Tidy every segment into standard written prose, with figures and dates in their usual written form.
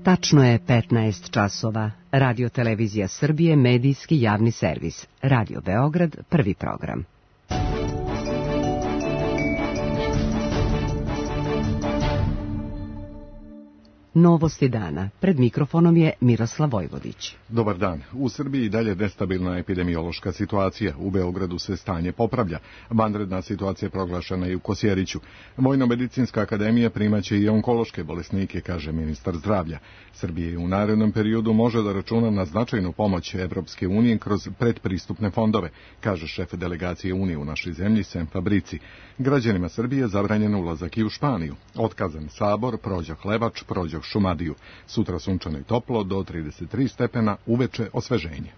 Tačno je 15 časova. Radio Televizija Srbije, medijski javni servis. Radio Beograd, prvi program. Novosti dana. Pred mikrofonom je Miroslav Vojvodić. Dobar dan. U Srbiji dalje nestabilna epidemiološka situacija. U Beogradu se stanje popravlja. Vanredna situacija proglašena je u Kosjeriću. Vojno-medicinska akademija primaće i onkološke bolesnike, kaže ministar zdravlja. Srbije u narednom periodu može da računa na značajnu pomoć Evropske unije kroz predpristupne fondove, kaže šef delegacije Unije u našoj zemlji Sem Fabrici. Građanima Srbije zabranjen ulazak i u Španiju. Otkazan Sabor, Prođoh Levač, Prođoh Šumadiju. Sutra sunčano i toplo, do 33 stepena, uveče osveženje.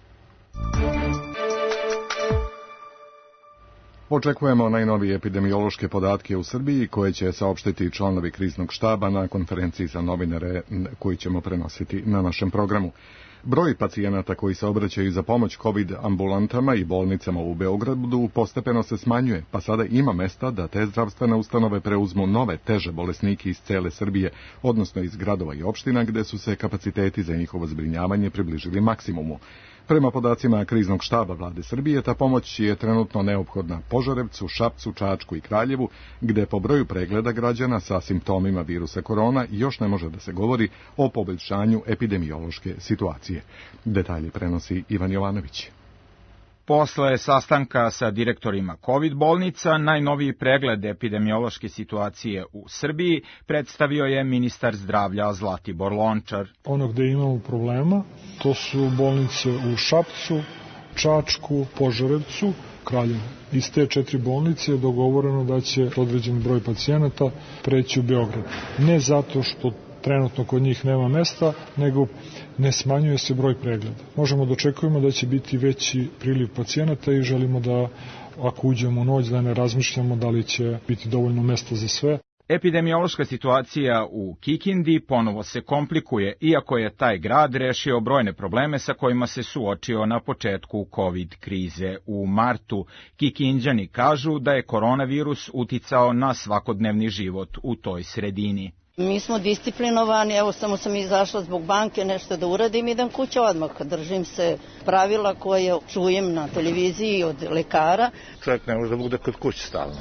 Očekujemo najnovije epidemiološke podatke u Srbiji koje će saopštiti članovi kriznog štaba na konferenciji za novinare koju ćemo prenositi na našem programu. Broj pacijenata koji se obraćaju za pomoć COVID ambulantama i bolnicama u Beogradu postepeno se smanjuje, pa sada ima mesta da te zdravstvene ustanove preuzmu nove teže bolesnike iz cele Srbije, odnosno iz gradova i opština gde su se kapaciteti za njihovo zbrinjavanje približili maksimumu. Prema podacima kriznog štaba vlade Srbije, ta pomoć je trenutno neophodna Požarevcu, Šapcu, Čačku i Kraljevu, gde po broju pregleda građana sa simptomima virusa korona još ne može da se govori o poboljšanju epidemiološke situacije. Detalje prenosi Ivan Jovanović. Posle sastanka sa direktorima COVID bolnica, najnoviji pregled epidemiološke situacije u Srbiji predstavio je ministar zdravlja Zlatibor Lončar. Ono gde imamo problema, to su bolnice u Šapcu, Čačku, Požarevcu, Kraljevu. Iz te 4 bolnice je dogovoreno da će određen broj pacijenata preći u Beograd. Ne zato što trenutno kod njih nema mesta, nego ne smanjuje se broj pregleda. Možemo da očekujemo da će biti veći priliv pacijenata i želimo da, ako uđemo u noć, da ne razmišljamo da li će biti dovoljno mesta za sve. Epidemiološka situacija u Kikindi ponovo se komplikuje, iako je taj grad rešio brojne probleme sa kojima se suočio na početku COVID krize. U martu Kikinđani kažu da je koronavirus uticao na svakodnevni život u toj sredini. Mi smo disciplinovani, evo samo sam izašla zbog banke nešto da uradim, idem kuće odmah, držim se pravila koje čujem na televiziji od lekara. Čovjek ne može da bude kod kuće stalno.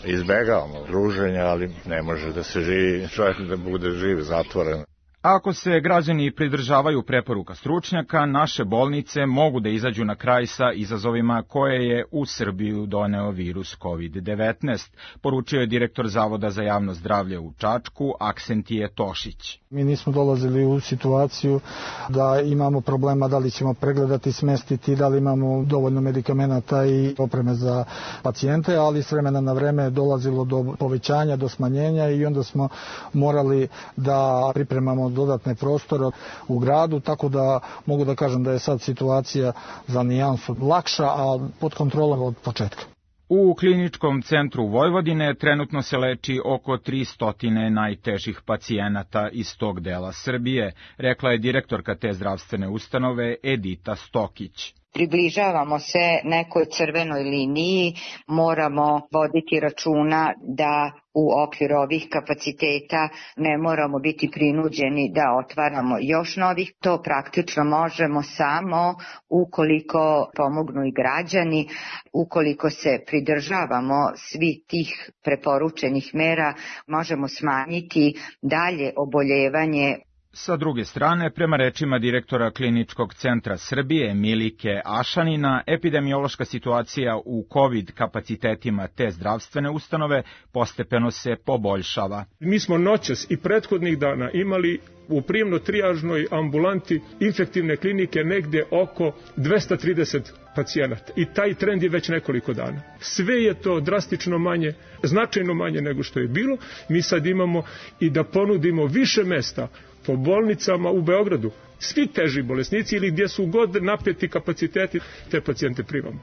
Izbegavamo druženja, ali ne može da se živi, čovjek da bude živ zatvoren. Ako se građani pridržavaju preporuka stručnjaka, naše bolnice mogu da izađu na kraj sa izazovima koje je u Srbiju doneo virus COVID-19, poručio je direktor Zavoda za javno zdravlje u Čačku, Aksentije Tošić. Mi nismo dolazili u situaciju da imamo problema da li ćemo pregledati, smestiti, da li imamo dovoljno medikamenata i opreme za pacijente, ali s vremena na vreme je dolazilo do povećanja, do smanjenja i onda smo morali da pripremamo dodatne prostore u gradu, tako da mogu da kažem da je sad situacija za nijansu lakša, a pod kontrolom od početka. U kliničkom centru Vojvodine trenutno se leči oko 300 najtežih pacijenata iz tog dela Srbije, rekla je direktorka te zdravstvene ustanove Edita Stokić. Približavamo se nekoj crvenoj liniji, moramo voditi računa da u okviru ovih kapaciteta ne moramo biti prinuđeni da otvaramo još novih. To praktično možemo samo ukoliko pomognu i građani, ukoliko se pridržavamo svi tih preporučenih mera, možemo smanjiti dalje oboljevanje. Sa druge strane, prema rečima direktora Kliničkog centra Srbije Milike Ašanina, epidemiološka situacija u COVID kapacitetima te zdravstvene ustanove postepeno se poboljšava. Mi smo noćas i prethodnih dana imali u prijemno-trijažnoj ambulanti infektivne klinike negde oko 230 pacijenata. I taj trend je već nekoliko dana. Sve je to drastično manje, značajno manje nego što je bilo. Mi sad imamo i da ponudimo više mesta po bolnicama u Beogradu. Svi teži bolesnici ili gdje su god napeti kapaciteti, te pacijente primamo.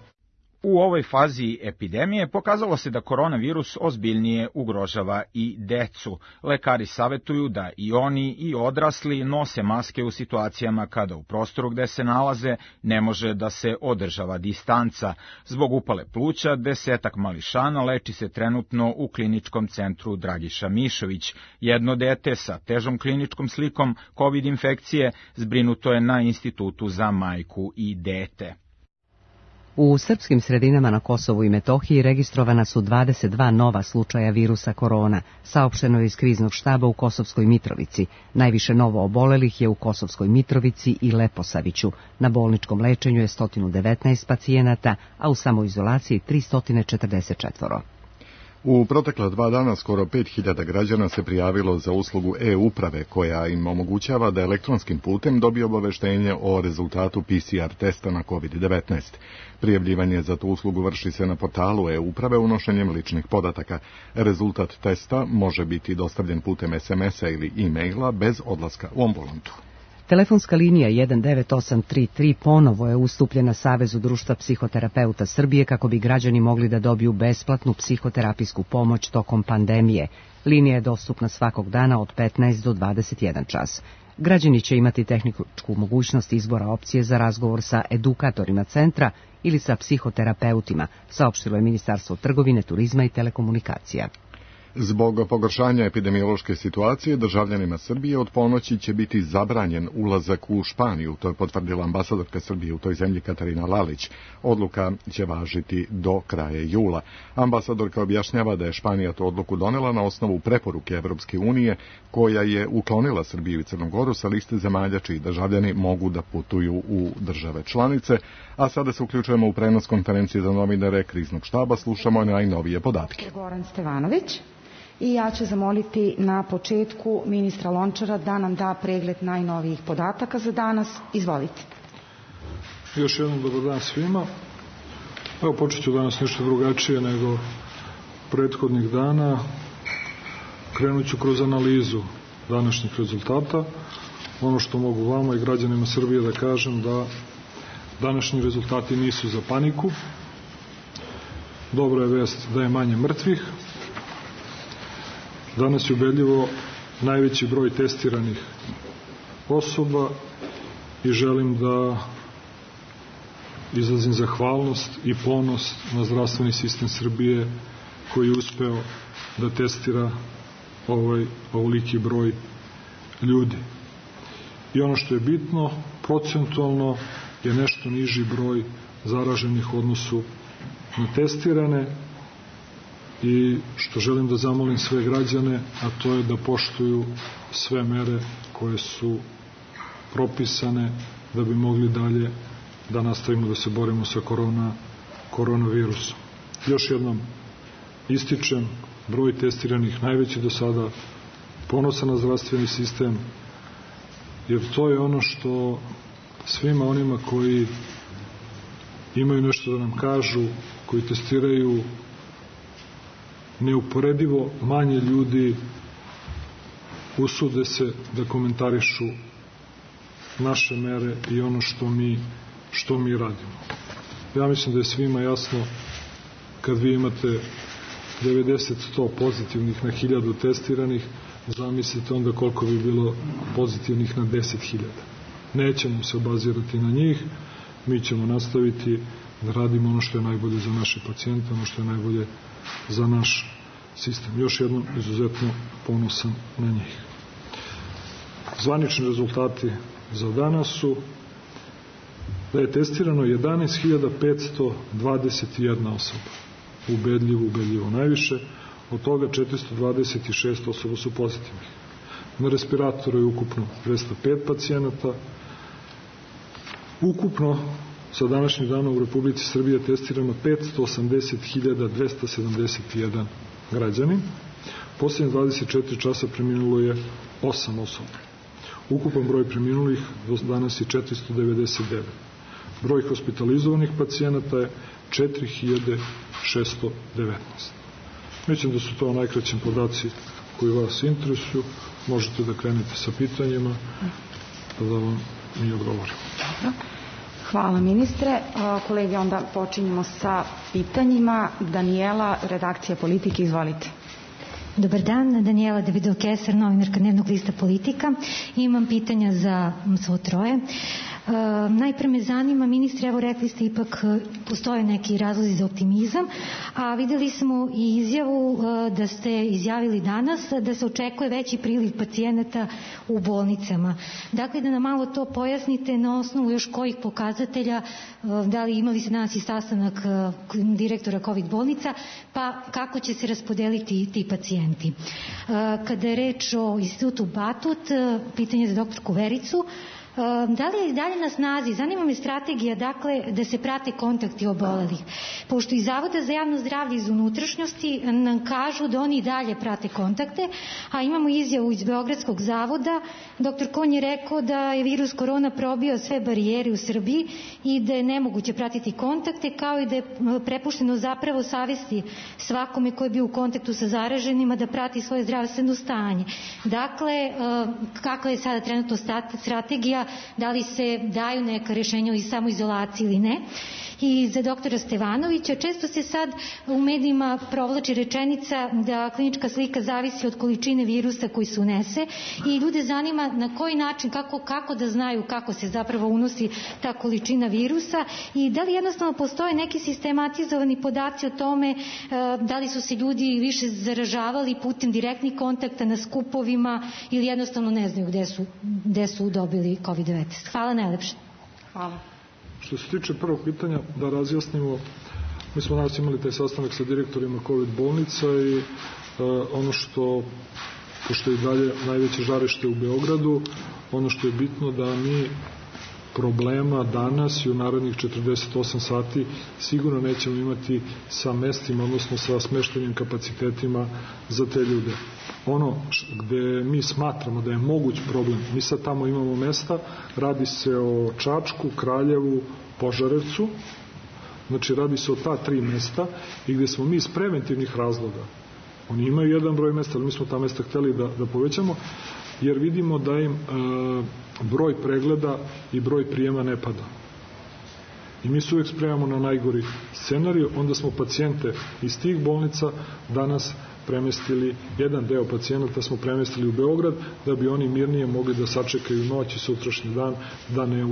U ovoj fazi epidemije pokazalo se da koronavirus ozbiljnije ugrožava i decu. Lekari savetuju da i oni i odrasli nose maske u situacijama kada u prostoru gde se nalaze ne može da se održava distanca. Zbog upale pluća 10 mališana leči se trenutno u kliničkom centru Dragiša Mišović. Jedno dete sa težom kliničkom slikom COVID infekcije zbrinuto je na Institutu za majku i dete. U srpskim sredinama na Kosovu i Metohiji registrovana su 22 nova slučaja virusa korona, saopšteno je iz kriznog štaba u Kosovskoj Mitrovici. Najviše novo obolelih je u Kosovskoj Mitrovici i Leposaviću. Na bolničkom lečenju je 119 pacijenata, a u samoizolaciji 344. U protekla 2 dana skoro 5000 građana se prijavilo za uslugu e-uprave, koja im omogućava da elektronskim putem dobije obaveštenje o rezultatu PCR testa na COVID-19. Prijavljivanje za tu uslugu vrši se na portalu e-uprave unošenjem ličnih podataka. Rezultat testa može biti dostavljen putem SMS-a ili e-maila bez odlaska u ambulantu. Telefonska linija 19833 ponovo je ustupljena Savezu društva psihoterapeuta Srbije kako bi građani mogli da dobiju besplatnu psihoterapijsku pomoć tokom pandemije. Linija je dostupna svakog dana od 15 do 21 čas. Građani će imati tehničku mogućnost izbora opcije za razgovor sa edukatorima centra ili sa psihoterapeutima, saopštilo je Ministarstvo trgovine, turizma i telekomunikacija. Zbog pogoršanja epidemiološke situacije, državljanima Srbije od ponoći će biti zabranjen ulazak u Španiju, to je potvrdila ambasadorka Srbije u toj zemlji Katarina Lalić. Odluka će važiti do kraja jula. Ambasadorka objašnjava da je Španija tu odluku donela na osnovu preporuke Evropske unije, koja je uklonila Srbiju i Crnu Goru sa liste zemalja čiji državljani mogu da putuju u države članice. A sada se uključujemo u prenos konferencije za novinare kriznog štaba, slušamo najnovije podatke. Goran Stevanović. I ja ću zamoliti na početku ministra Lončara da nam da pregled najnovijih podataka za danas. Izvolite. Još jednom dobar dan svima. Evo, počet ću danas nešto drugačije nego prethodnih dana. Krenut ću kroz analizu današnjih rezultata. Ono što mogu vama i građanima Srbije da kažem da današnji rezultati nisu za paniku. Dobra je vest da je manje mrtvih. Danas je ubedljivo najveći broj testiranih osoba i želim da izrazim zahvalnost i ponos na zdravstveni sistem Srbije koji je uspeo da testira ovoliki broj ljudi. I ono što je bitno, procentualno je nešto niži broj zaraženih u odnosu na testirane, i što želim da zamolim sve građane, a to je da poštuju sve mere koje su propisane da bi mogli dalje da nastavimo da se borimo sa koronavirusom. Još jednom ističem, broj testiranih najveći do sada, ponosan na zdravstveni sistem, jer to je ono što svima onima koji imaju nešto da nam kažu, koji testiraju neuporedivo manje ljudi, usude se da komentarišu naše mere i ono što mi radimo. Ja mislim da je svima jasno, kad vi imate 90-100 pozitivnih na 1000 testiranih, zamislite onda koliko bi bilo pozitivnih na 10.000. Nećemo se obazirati na njih, mi ćemo nastaviti da radimo ono što je najbolje za naše pacijente, ono što je najbolje za naš sistem. Još jednom izuzetno ponosan na njih. Zvanični rezultati za danas su da je testirano 11.521 osoba. Ubedljivo najviše. Od toga 426 osoba su pozitivnih. Na respiratoru je ukupno 205 pacijenata. Ukupno sa današnjim danom u Republici Srbije testirano 580.271 građanin. Posljednje 24 časa preminulo je 8 osoba. Ukupan broj preminulih do danas je 499. Broj hospitalizovanih pacijenata je 4619. Mislim da su to najkraćim podaci koji vas interesuju. Možete da krenete sa pitanjima, pa da vam mi odgovorimo. Hvala ministre. Kolege, onda počinjemo sa pitanjima. Danijela, redakcija Politike, izvolite. Dobar dan, Danijela Davidov-Kesar, novinarka Dnevnog lista Politika. Imam pitanja za svo troje. Najpre me zanima, ministre, evo rekli ste ipak postoje neki razlozi za optimizam, a videli smo i izjavu da ste izjavili danas da se očekuje veći priliv pacijenata u bolnicama. Dakle, da nam malo to pojasnite na osnovu još kojih pokazatelja, da li imali ste danas i sastanak direktora COVID bolnica, pa kako će se raspodeliti ti pacijenti. Kada je reč o institutu Batut, pitanje za doktorku Vericu, da li je i dalje na snazi, zanima me strategija, dakle, da se prate kontakti obolelih, pošto iz Zavoda za javno zdravlje iz unutrašnjosti nam kažu da oni i dalje prate kontakte, a imamo izjavu iz Beogradskog zavoda, dr. Konj je rekao da je virus korona probio sve barijere u Srbiji i da je nemoguće pratiti kontakte, kao i da je prepušteno zapravo savesti svakome ko je bio u kontaktu sa zaraženima da prati svoje zdravstveno stanje. Dakle, kakva je sada trenutno strategija, da li se daju neka rješenja o samoizolaciji ili ne. I za doktora Stevanovića, često se sad u medijima provlači rečenica da klinička slika zavisi od količine virusa koji se unese i ljude zanima na koji način, kako da znaju kako se zapravo unosi ta količina virusa i da li jednostavno postoje neki sistematizovani podaci o tome da li su se ljudi više zaražavali putem direktnih kontakta na skupovima ili jednostavno ne znaju gde su dobili COVID-19. Hvala najlepše. Hvala. Što se tiče prvog pitanja, da razjasnimo, mi smo danas imali taj sastanak sa direktorima COVID bolnica i ono što, pošto je dalje najveće žarište u Beogradu, ono što je bitno da mi problema danas i u narednih 48 sati sigurno nećemo imati sa mestima, odnosno sa smeštenim kapacitetima za te ljude. Ono gde mi smatramo da je moguć problem, mi sad tamo imamo mesta, radi se o Čačku, Kraljevu, Požarevcu, znači radi se o ta 3 mesta i gde smo mi iz preventivnih razloga, oni imaju jedan broj mesta, ali mi smo ta mesta hteli da povećamo, jer vidimo da im broj pregleda i broj prijema ne pada. I mi se uvijek spremamo na najgori scenarij, onda smo pacijente iz tih bolnica danas premestili, jedan deo pacijenata smo premestili u Beograd da bi oni mirnije mogli da sačekaju noć i sutrašnji dan da ne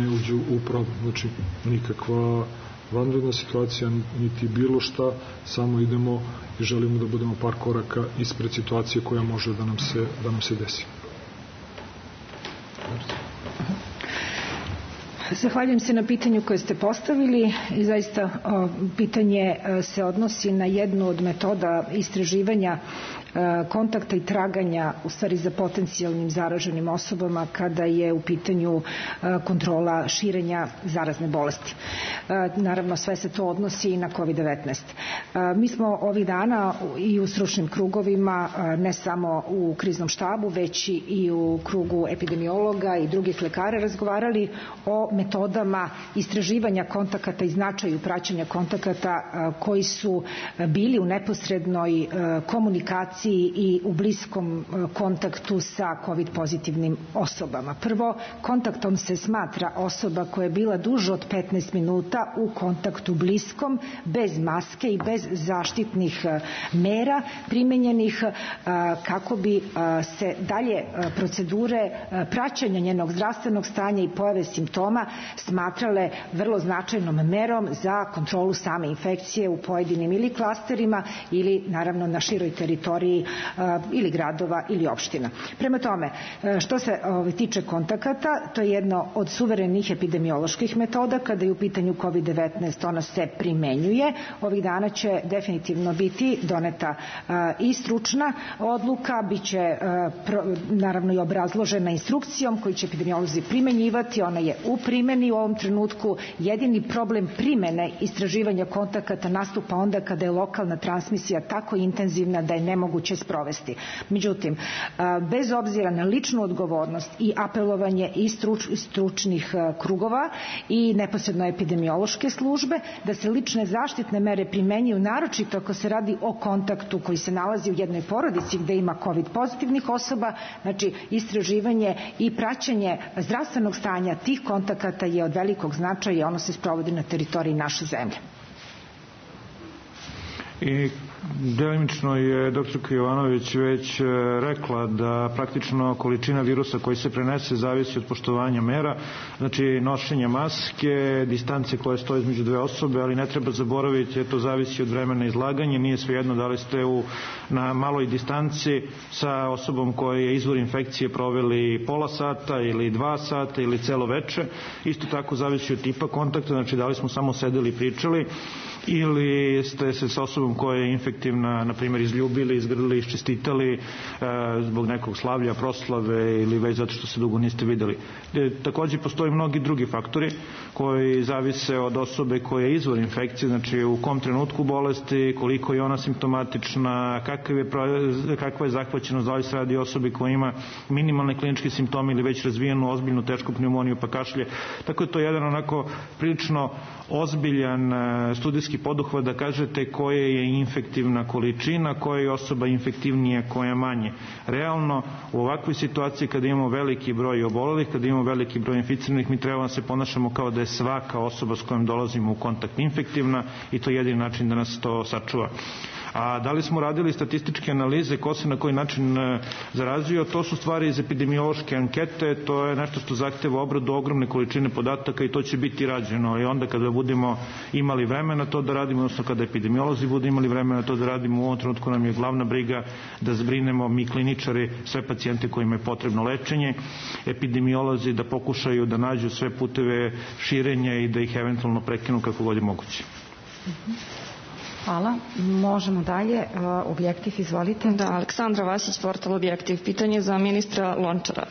uđu u problem. Znači, nikakva vanredna situacija, niti bilo šta, samo idemo i želimo da budemo par koraka ispred situacije koja može da nam se desi. Zahvaljujem se na pitanju koje ste postavili i zaista pitanje se odnosi na jednu od metoda istraživanja kontakta i traganja u stvari za potencijalnim zaraženim osobama kada je u pitanju kontrola širenja zarazne bolesti. Naravno, sve se to odnosi i na COVID-19. Mi smo ovih dana i u stručnim krugovima, ne samo u kriznom štabu, već i u krugu epidemiologa i drugih lekara razgovarali o metodama istraživanja kontakata i značaju praćenja kontakata koji su bili u neposrednoj komunikaciji i u bliskom kontaktu sa COVID pozitivnim osobama. Prvo, kontaktom se smatra osoba koja je bila duže od 15 minuta u kontaktu bliskom, bez maske i bez zaštitnih mera primenjenih kako bi se dalje procedure praćenja njenog zdravstvenog stanja i pojave simptoma smatrale vrlo značajnom merom za kontrolu same infekcije u pojedinim ili klasterima ili naravno na široj teritoriji ili gradova ili opština. Prema tome, što se tiče kontakata, to je jedno od suverenih epidemioloških metoda. Kada je u pitanju COVID-19, ona se primenjuje. Ovih dana će definitivno biti doneta i stručna odluka, biće naravno i obrazložena instrukcijom koju će epidemiolozi primenjivati. Ona je u primeni u ovom trenutku. Jedini problem primene istraživanja kontakata nastupa onda kada je lokalna transmisija tako intenzivna da je nemoguće sprovesti. Međutim, bez obzira na ličnu odgovornost i apelovanje i stručnih krugova i neposredno epidemiološke službe, da se lične zaštitne mere primenjuju naročito ako se radi o kontaktu koji se nalazi u jednoj porodici gde ima COVID pozitivnih osoba, znači istraživanje i praćenje zdravstvenog stanja tih kontakata kontakata je od velikog značaja i ono se sprovodi na teritoriji naše zemlje. I delimično je dr. Jovanović već rekla da praktično količina virusa koji se prenese zavisi od poštovanja mera, znači nošenja maske, distance koje stoje između dve osobe, ali ne treba zaboraviti, to zavisi od vremena izlaganja, nije svejedno da li ste na maloj distanci sa osobom koja je izvor infekcije proveli pola sata ili 2 sata ili celo veče, isto tako zavisi od tipa kontakta, znači da li smo samo sedeli i pričali ili ste se sa osobom koja je infektivna, na primjer, izljubili, izgrlili, iščestitali zbog nekog slavlja, proslave ili već zato što se dugo niste videli. Takođe postoji mnogi drugi faktori koji zavise od osobe koja je izvor infekcije, znači u kom trenutku bolesti, koliko je ona simptomatična, kakva je zahvaćenost, da li se radi o osobi koja ima minimalne kliničke simptome ili već razvijenu ozbiljnu tešku pneumoniju pa kašlje. Tako je to jedan onako prilično ozbiljan studijski poduhvat da kažete koja je infektivna količina, koja je osoba infektivnija, koja manje. Realno, u ovakvoj situaciji kada imamo veliki broj obolelih, kada imamo veliki broj inficiranih, mi treba da se ponašamo kao da je svaka osoba s kojom dolazimo u kontakt infektivna i to je jedini način da nas to sačuva. A da li smo radili statističke analize, ko se na koji način zarazio, to su stvari iz epidemiološke ankete, to je nešto što zahteva obradu ogromne količine podataka i to će biti rađeno. I onda kada budemo imali vremena to da radimo, odnosno kada epidemiolozi budu imali vremena to da radimo, u ovom trenutku nam je glavna briga da zbrinemo mi kliničari sve pacijente kojima je potrebno lečenje, epidemiolozi da pokušaju da nađu sve puteve širenja i da ih eventualno prekinu kako god je moguće. Hvala. Možemo dalje. Objektiv, izvolite. Da, Aleksandra Vasić, portal Objektiv. Pitanje za ministra Lončara.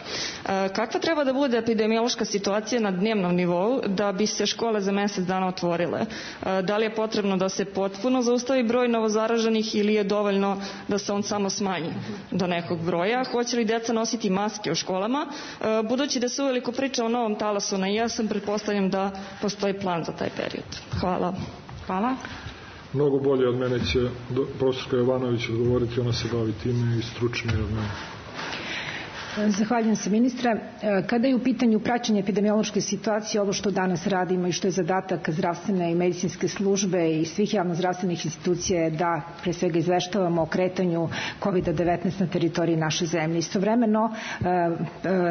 Kakva treba da bude epidemiološka situacija na dnevnom nivou da bi se škole za mesec dana otvorile? Da li je potrebno da se potpuno zaustavi broj novozaraženih ili je dovoljno da se on samo smanji do nekog broja? Hoće li deca nositi maske u školama? Budući da se uveliko priča o novom talasu na jesen, pretpostavljam da postoji plan za taj period. Hvala. Hvala. Mnogo bolje od mene će profesorka Jovanović odgovoriti, ona se bavi time i stručnije od mene. Zahvaljujem se, ministra. Kada je u pitanju praćenje epidemiološke situacije, ovo što danas radimo i što je zadatak zdravstvene i medicinske službe i svih javnozdravstvenih institucija je da pre svega izveštavamo o kretanju COVID-19 na teritoriji naše zemlje. Istovremeno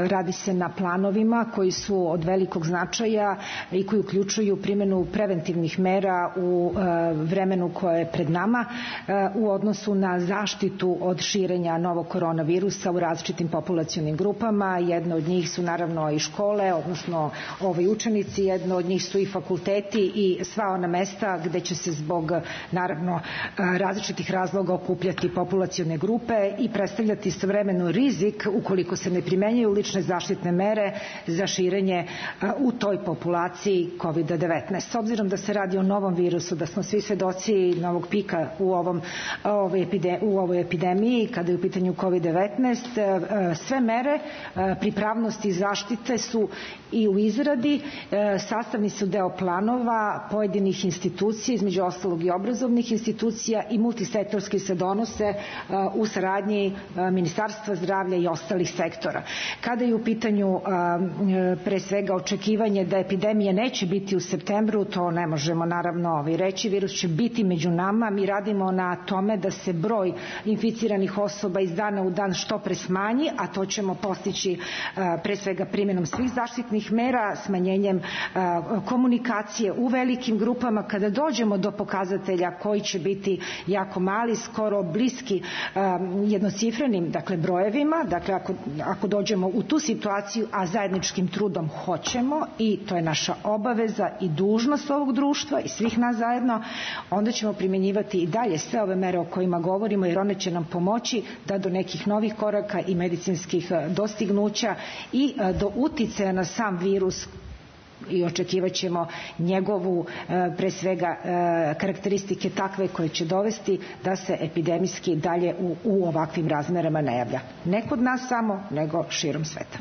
radi se na planovima koji su od velikog značaja i koji uključuju primjenu preventivnih mera u vremenu koje je pred nama u odnosu na zaštitu od širenja novog koronavirusa u različitim populacijama grupama. Jedno od njih su naravno i škole, odnosno učenici, jedno od njih su i fakulteti i sva ona mesta gde će se zbog naravno različitih razloga okupljati populacione grupe i predstavljati istovremeno rizik ukoliko se ne primenjuju lične zaštitne mere za širenje u toj populaciji COVID-19. S obzirom da se radi o novom virusu, da smo svi svedoci novog pika u ovoj epidemiji kada je u pitanju COVID-19, sve mere pripravnosti i zaštite su i u izradi, sastavni su deo planova pojedinih institucija, između ostalog i obrazovnih institucija i multisektorski se donose u saradnji Ministarstva zdravlja i ostalih sektora. Kada je u pitanju pre svega očekivanje da epidemije neće biti u septembru, to ne možemo naravno reći, virus će biti među nama, mi radimo na tome da se broj inficiranih osoba iz dana u dan što pre smanji, a to ćemo postići pre svega primjenom svih zaštitnih mera, smanjenjem komunikacije u velikim grupama. Kada dođemo do pokazatelja koji će biti jako mali, skoro bliski jednocifrenim brojevima, dakle ako dođemo u tu situaciju, a zajedničkim trudom hoćemo i to je naša obaveza i dužnost ovog društva i svih nas zajedno, onda ćemo primjenjivati i dalje sve ove mere o kojima govorimo, jer one će nam pomoći da do nekih novih koraka i medicinskih dostignuća i do uticaja na sam virus i očekivat ćemo njegovu pre svega karakteristike takve koje će dovesti da se epidemijski dalje u ovakvim razmerama ne javlja. Ne kod nas samo, nego širom sveta.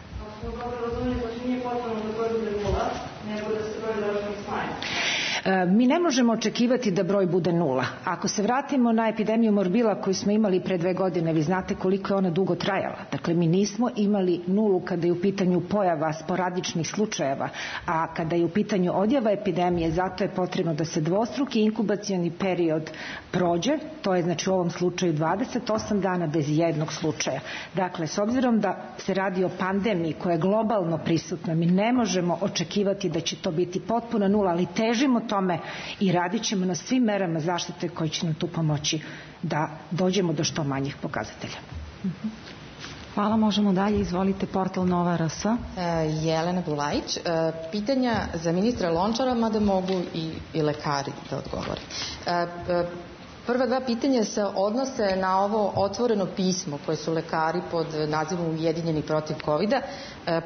Mi ne možemo očekivati da broj bude nula. Ako se vratimo na epidemiju morbila koju smo imali pre 2 godine, vi znate koliko je ona dugo trajala. Dakle, mi nismo imali nulu kada je u pitanju pojava sporadičnih slučajeva, a kada je u pitanju odjava epidemije, zato je potrebno da se dvostruki inkubacioni period prođe, to je znači u ovom slučaju 28 dana bez jednog slučaja. Dakle, s obzirom da se radi o pandemiji koja je globalno prisutna, mi ne možemo očekivati da će to biti potpuno nula, ali težimo tome i radit ćemo na svim merama zaštite koji će nam tu pomoći da dođemo do što manjih pokazatelja. Hvala, možemo dalje. Izvolite, portal Nova RS. Jelena Bulajić. Pitanja za ministra Lončara, mada mogu i lekari da odgovore. Prva 2 pitanja se odnose na ovo otvoreno pismo koje su lekari pod nazivom Ujedinjeni protiv COVID-a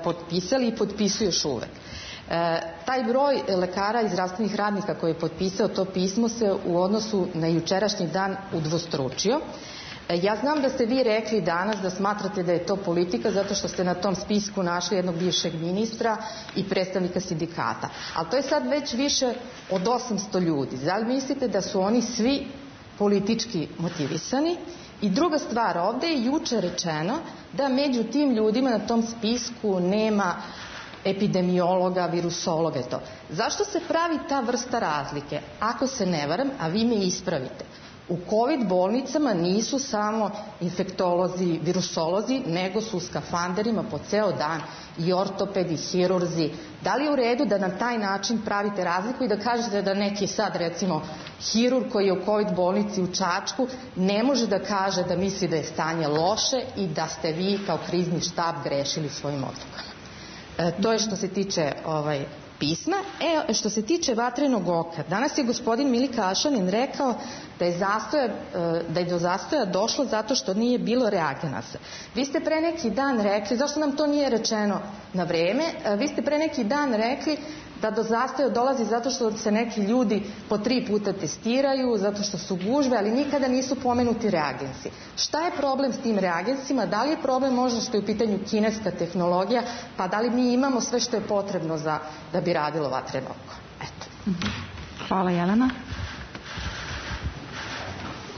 potpisali i potpisuju još uvek. Taj broj lekara i zdravstvenih radnika koji je potpisao to pismo se u odnosu na jučerašnji dan udvostručio. Ja znam da ste vi rekli danas da smatrate da je to politika zato što ste na tom spisku našli jednog bivšeg ministra i predstavnika sindikata. Ali to je sad već više od 800 ljudi. Da li mislite da su oni svi politički motivisani? I druga stvar, ovde je juče rečeno da među tim ljudima na tom spisku nema epidemiologa, virusologa i to. Zašto se pravi ta vrsta razlike? Ako se ne varam, a vi me ispravite, u COVID bolnicama nisu samo infektolozi, virusolozi, nego su u skafanderima po ceo dan i ortopedi, hirurzi. Da li je u redu da na taj način pravite razliku i da kažete da neki sad, recimo, hirurg koji je u COVID bolnici u Čačku ne može da kaže da misli da je stanje loše i da ste vi kao krizni štab grešili svojim odlukama? To je što se tiče pisma. Što se tiče vatrenog oka, danas je gospodin Milika Ašanin rekao da je do zastoja došlo zato što nije bilo reagenasa. Vi ste pre neki dan rekli, zašto nam to nije rečeno na vreme, vi ste pre neki dan rekli da do zastoja dolazi zato što se neki ljudi po 3 puta testiraju, zato što su gužve, ali nikada nisu pomenuti reagensi. Šta je problem s tim reagensima? Da li je problem možda što je u pitanju kineska tehnologija, pa da li mi imamo sve što je potrebno da bi radilo vatreno oko? Eto. Hvala, Jelena.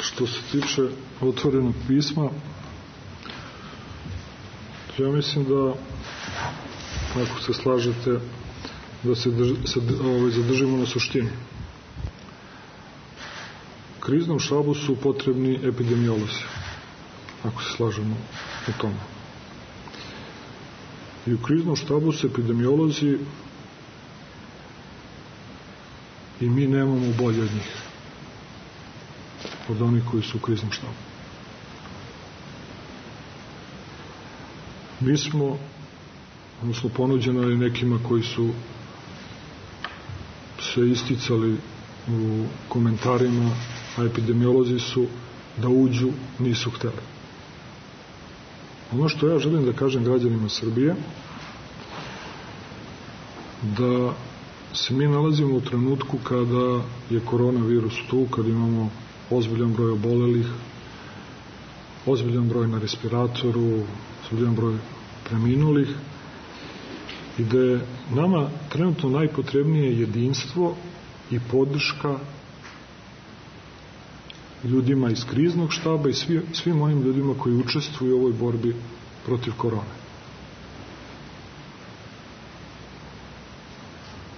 Što se tiče otvorenog pisma, ja mislim da, ako se slažete, da se zadržimo na suštini. Kriznom štabu su potrebni epidemiolozi, ako se slažemo o tome. I u kriznom štabu su epidemiolozi i mi nemamo bolje od njih, od onih koji su u kriznom štabu. Mi smo, odnosno ponuđeno je nekima koji su se isticali u komentarima, a epidemiolozi su da uđu, nisu hteli. Ono što ja želim da kažem građanima Srbije, da se mi nalazimo u trenutku kada je koronavirus tu, kada imamo ozbiljan broj obolelih, ozbiljan broj na respiratoru, ozbiljan broj preminulih, i da je nama trenutno najpotrebnije jedinstvo i podrška ljudima iz kriznog štaba i svim onim ljudima koji učestvuju u ovoj borbi protiv korone.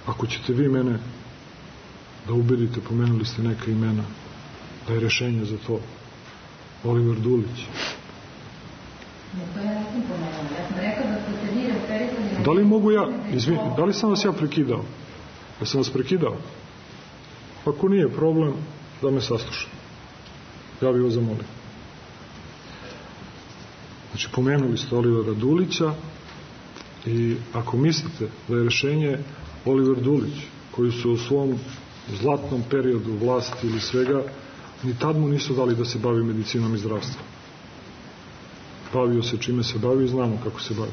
Ako ćete vi mene da ubedite, pomenuli ste neka imena, da je rešenje za to Oliver Dulić. Da li mogu ja, da li sam vas ja prekidao? Da sam vas prekidao? Ako nije problem, da me saslušam. Ja bih vas zamolio. Znači, pomenuli ste Olivera Dulića i ako mislite da je rešenje Oliver Dulić, koji su u svom zlatnom periodu vlasti ili svega, ni tad mu nisu dali da se bavi medicinom i zdravstvom. Bavio se čime se bavi i znamo kako se bavi.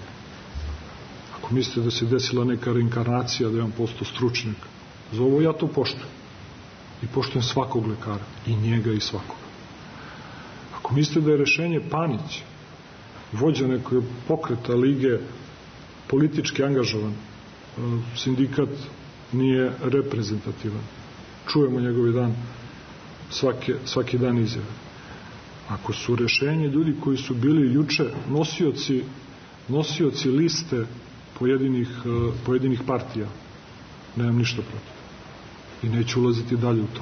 Ako mislite da se desila neka reinkarnacija, da je on postao stručnjak, za ovo ja to poštujem. I poštujem svakog lekara. I njega i svakoga. Ako mislite da je rešenje Panić, vođa nekog pokreta lige, politički angažovan, sindikat nije reprezentativan, čujemo njegovi dan svaki dan izjave. Ako su rešenje ljudi koji su bili juče nosioci liste pojedinih partija, nemam ništa protiv. I neću ulaziti dalje u to.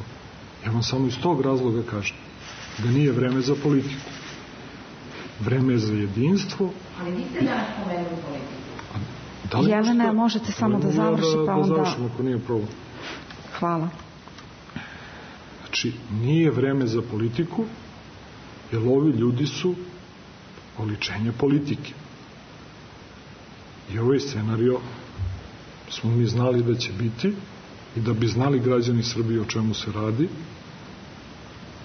Ja vam samo iz tog razloga kažem da nije vreme za politiku. Vreme je za jedinstvo. Ali niste danas pomenuli politiku. Jelena, možete samo da završi, pa onda... Da završim, ako nije problem. Hvala. Znači, nije vreme za politiku, jer ovi ljudi su oličenje politike. I ovaj scenario smo mi znali da će biti i da bi znali građani Srbije o čemu se radi,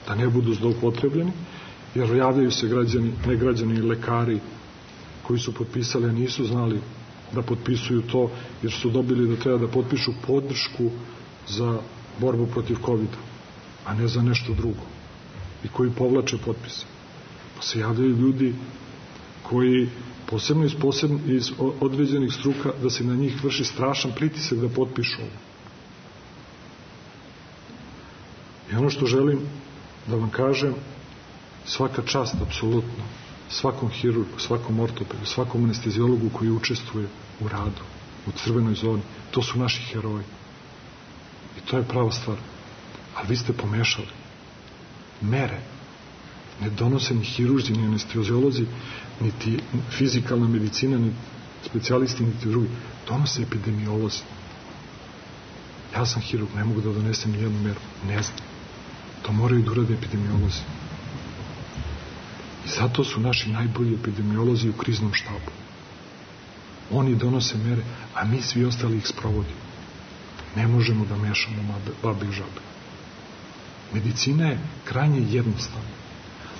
da ne budu zloupotrebljeni, jer javljaju se ne građani, lekari koji su potpisali, a nisu znali da potpisuju to, jer su dobili da treba da potpišu podršku za borbu protiv COVID-a, a ne za nešto drugo, i koji povlače potpise. Pa se javljaju ljudi koji posebno iz određenih struka, da se na njih vrši strašan pritisak da potpišu ovo. I ono što želim da vam kažem, svaka čast, apsolutno, svakom hirurgu, svakom ortopedu, svakom anestezijologu koji učestvuje u radu, u crvenoj zoni, to su naši heroji. I to je prava stvar. Ali vi ste pomešali. Mere ne donose ni hirurzi, ni anestezijolozi, niti fizikalna medicina, ni specijalisti, niti drugi. Donose epidemiolozi. Ja sam hirurg, ne mogu da donesem ni jednu meru. Ne znam. To moraju da urade epidemiolozi. I zato su naši najbolji epidemiolozi u kriznom štabu. Oni donose mere, a mi svi ostali ih sprovodimo. Ne možemo da mešamo babe i žabe. Medicina je krajnje jednostavna.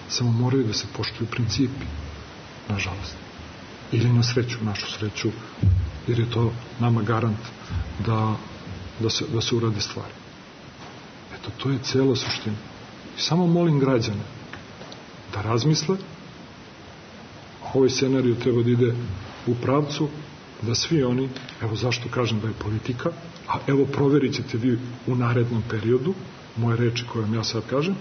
Samo moraju da se poštuju principi, nažalost. Ili na sreću, našu sreću, jer je to nama garant da se urade stvari. Eto, to je cela suština. I samo molim građane da razmisle, ovaj scenarij treba da ide u pravcu da svi oni, evo zašto kažem da je politika, a evo proverit ćete vi u narednom periodu, moje reči koje vam ja sad kažem,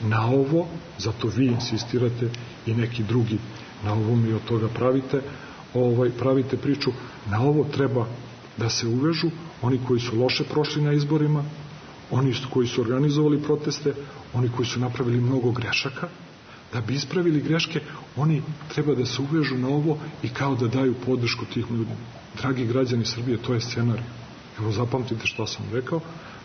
na ovo, zato vi insistirate i neki drugi na ovom i od toga pravite priču, na ovo treba da se uvežu oni koji su loše prošli na izborima, oni koji su organizovali proteste, oni koji su napravili mnogo grešaka. Da bi ispravili greške, oni treba da se uvežu na ovo i kao da daju podršku tih ljudima. Dragi građani Srbije, to je scenarij. Evo, zapamtite što sam rekao,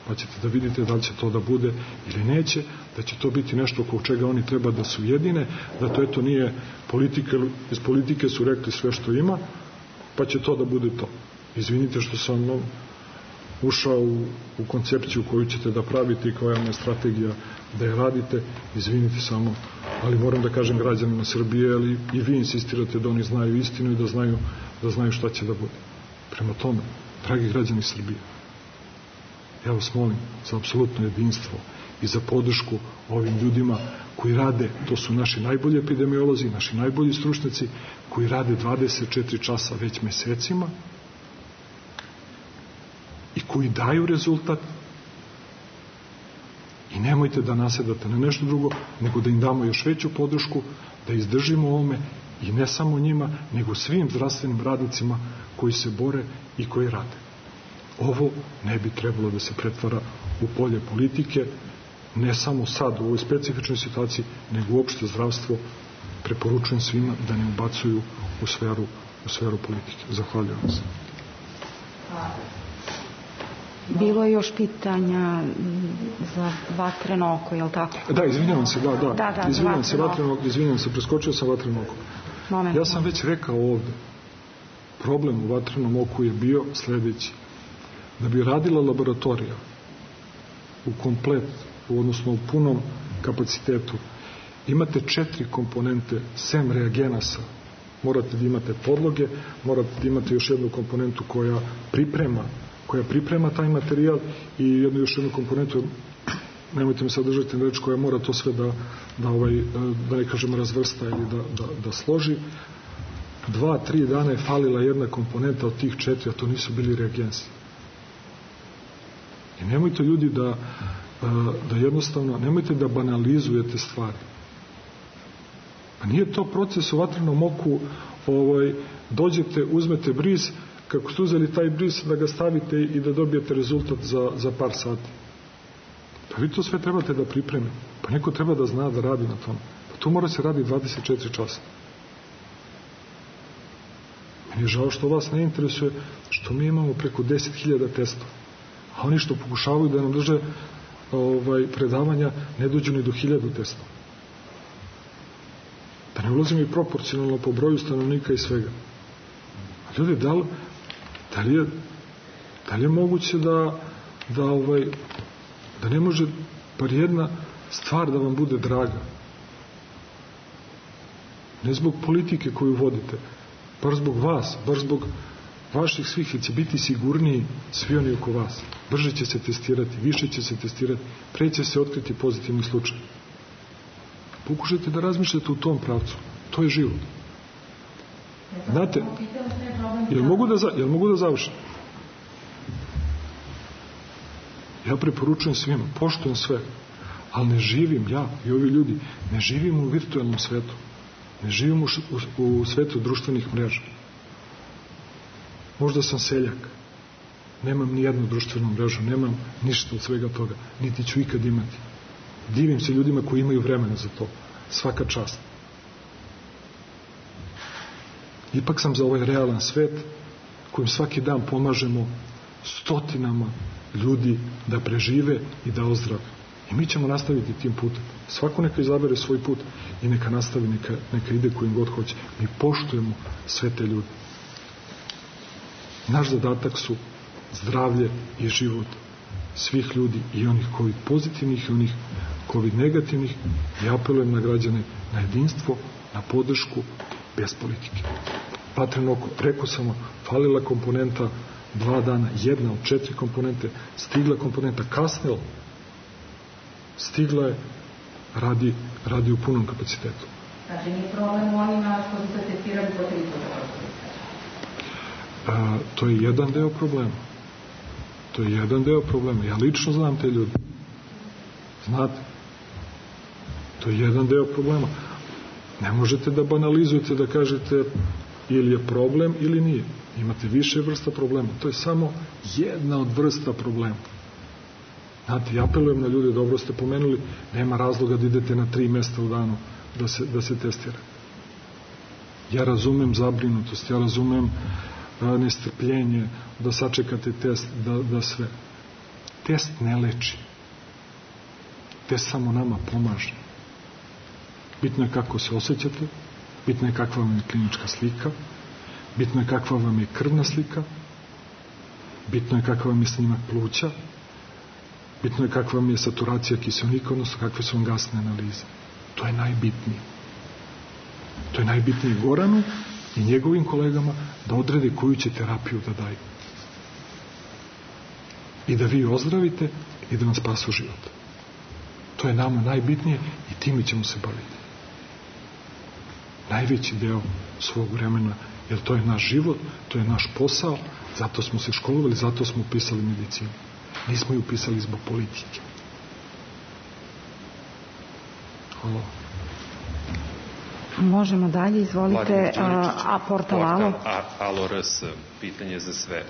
pa ćete da vidite da li će to da bude ili neće, da će to biti nešto oko čega oni treba da se ujedine, da to eto nije politika, iz politike su rekli sve što ima, pa će to da bude to. Izvinite što sam ušao u koncepciju koju ćete da pravite i koja je strategija da je radite, izvinite samo, ali moram da kažem građanima Srbije, ali i vi insistirate da oni znaju istinu i da znaju šta će da bude. Prema tome, dragi građani Srbije, ja vas molim za apsolutno jedinstvo i za podršku ovim ljudima koji rade, to su naši najbolji epidemiolozi, naši najbolji stručnjaci, koji rade 24 časa već mesecima i koji daju rezultat. I nemojte da nasedate na nešto drugo, nego da im damo još veću podršku, da izdržimo ovome i ne samo njima, nego svim zdravstvenim radnicima koji se bore i koji rade. Ovo ne bi trebalo da se pretvara u polje politike, ne samo sad u ovoj specifičnoj situaciji, nego uopšte zdravstvo. Preporučujem svima da ne ubacuju u sferu politike. Zahvaljujem se. Bilo je još pitanja za vatreno oko, je li tako? Da, izvinjavam se, izvinjavam se, preskočio sam vatreno oko. Ja sam već rekao ovde, problem u vatrenom oku je bio sledeći. Da bi radila laboratorija u odnosno u punom kapacitetu, imate 4 komponente, sem reagenasa. Morate da imate podloge, morate da imate još jednu komponentu koja priprema taj materijal i još jednu komponentu, nemojte me sad držati na reč, koja mora to sve da ne kažemo razvrsta ili da složi. 2-3 dana je falila jedna komponenta od tih 4, a to nisu bili reagensi. I nemojte ljudi da jednostavno, nemojte da banalizujete stvari. Pa nije to proces u vatrenom oku, dođete, uzmete bris, kako ste uzeli taj bris, da ga stavite i da dobijete rezultat za par sati. Pa vi to sve trebate da pripremite. Pa neko treba da zna da radi na tome. Pa to mora se radi 24 časa. Meni je žao što vas ne interesuje što mi imamo preko 10.000 testova. A oni što pokušavaju da nam drže predavanja ne dođu ni do 1000 testova. Da ne ulazimo i proporcionalno po broju stanovnika i svega. A ljudi, da li je moguće da ne može par jedna stvar da vam bude draga? Ne zbog politike koju vodite, bar zbog vas, bar zbog vaših svih, jer će biti sigurniji svi oni oko vas. Brže će se testirati, više će se testirati, pre će se otkriti pozitivni slučaj. Pokušajte da razmišljate u tom pravcu. To je život. Znate, jel mogu da završim? Ja preporučujem svima, poštujem sve, ali ne živim ja i ovi ljudi, ne živimo u virtualnom svetu. Ne živimo u svetu društvenih mreža. Možda sam seljak. Nemam ni jednu društvenu mrežu, nemam ništa od svega toga, niti ću ikad imati. Divim se ljudima koji imaju vremena za to. Svaka čast. Ipak sam za ovaj realan svet kojim svaki dan pomažemo stotinama ljudi da prežive i da ozdrave. I mi ćemo nastaviti tim putem. Svako neka izabere svoj put i neka nastavi, neka ide kojim god hoće. Mi poštujemo sve te ljude. Naš zadatak su zdravlje i život svih ljudi, i onih COVID pozitivnih i onih COVID negativnih. I apelujem na građane na jedinstvo, na podršku, bez politike. Vatreno oko, rekao sam, falila komponenta 2 dana, 1 od 4 komponente, stigla komponenta, kasnila, stigla je, radi u punom kapacitetu. Znači, nije problem u onima koji se testirali po 300%? To je jedan deo problema. To je jedan deo problema. Ja lično znam te ljudi. Znate? To je jedan deo problema. Ne možete da banalizujete, da kažete ili je problem ili nije. Imate više vrsta problema. To je samo jedna od vrsta problema. Znate, ja apelujem na ljude, dobro ste pomenuli, nema razloga da idete na 3 mesta u danu da se testira. Ja razumem zabrinutost, ja razumem nestrpljenje, da sačekate test, da sve. Test ne leči. Test samo nama pomaže. Bitno je kako se osjećate, bitno je kakva vam je klinička slika, bitno je kakva vam je krvna slika, bitno je kakva vam je snimak pluća, bitno je kakva vam je saturacija kiseonika, odnosno kakve su vam gasne analize. To je najbitnije. To je najbitnije Goranu i njegovim kolegama da odrede koju će terapiju da daju. I da vi ozdravite i da vam spasu život. To je nama najbitnije i time ćemo se baviti. Najveći deo svog vremena, jer to je naš život, to je naš posao, zato smo se školovali, zato smo upisali medicinu. Nismo ju upisali zbog politike. Hvala. Možemo dalje, izvolite, portal Alo. Alo RS, pitanje za sve.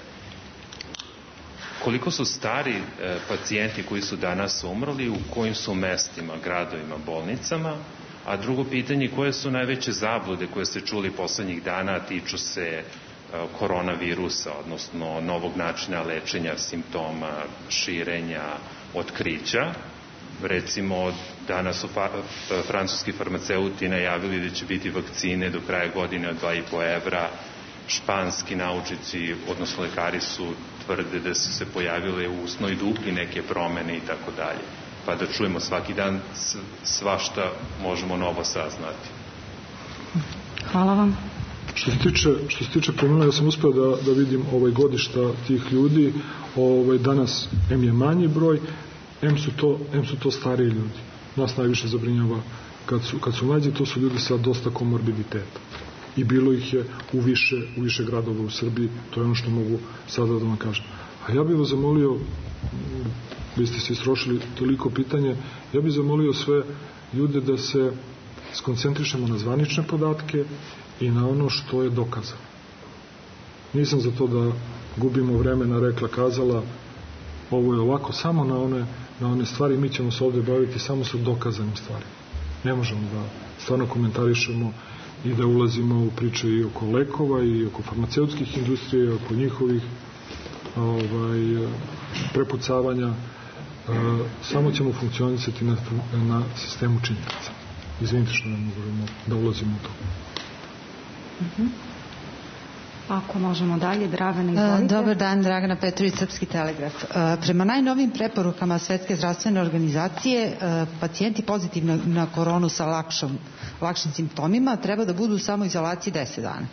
Koliko su stari pacijenti koji su danas umrli, u kojim su mestima, gradovima, bolnicama? A drugo pitanje, koje su najveće zablude koje ste čuli poslednjih dana, tiču se koronavirusa, odnosno novog načina lečenja simptoma, širenja, otkrića? Recimo, danas su francuski farmaceuti najavili da će biti vakcine do kraja godine od 2,5 evra. Španski naučici, odnosno lekari su tvrde da su se pojavile u usnoj dupli neke promene i tako dalje. Pa da čujemo svaki dan svašta možemo novo saznati. Hvala vam. Što se tiče promjena, ja sam uspeo da vidim godišta tih ljudi. Danas M je manji broj, M su to stariji ljudi. Nas najviše zabrinjava kad su mlađi, to su ljudi sa dosta komorbiditeta. I bilo ih je u više gradova u Srbiji, to je ono što mogu sada da vam kažem. A A ja bih vas zamolio, vi ste se istrošili toliko pitanje, ja bih zamolio sve ljude da se skoncentrišemo na zvanične podatke i na ono što je dokazano. Nisam za to da gubimo vremena, rekla, kazala, ovo je ovako, samo na one stvari, mi ćemo se ovde baviti samo sa dokazanim stvarima. Ne možemo da stvarno komentarišemo i da ulazimo u priče i oko lekova i oko farmaceutskih industrija i oko njihovih prepucavanja. Samo ćemo funkcionisati na sistemu činjenica. Izvinite što ne možemo da ulazimo u to. Ako možemo dalje, Dragana, izvolite. Dobar dan, Dragana Petrović, Srpski telegraf. Prema najnovim preporukama Svetske zdravstvene organizacije, pacijenti pozitivni na koronu sa lakšim simptomima treba da budu u samoizolaciji 10 dana.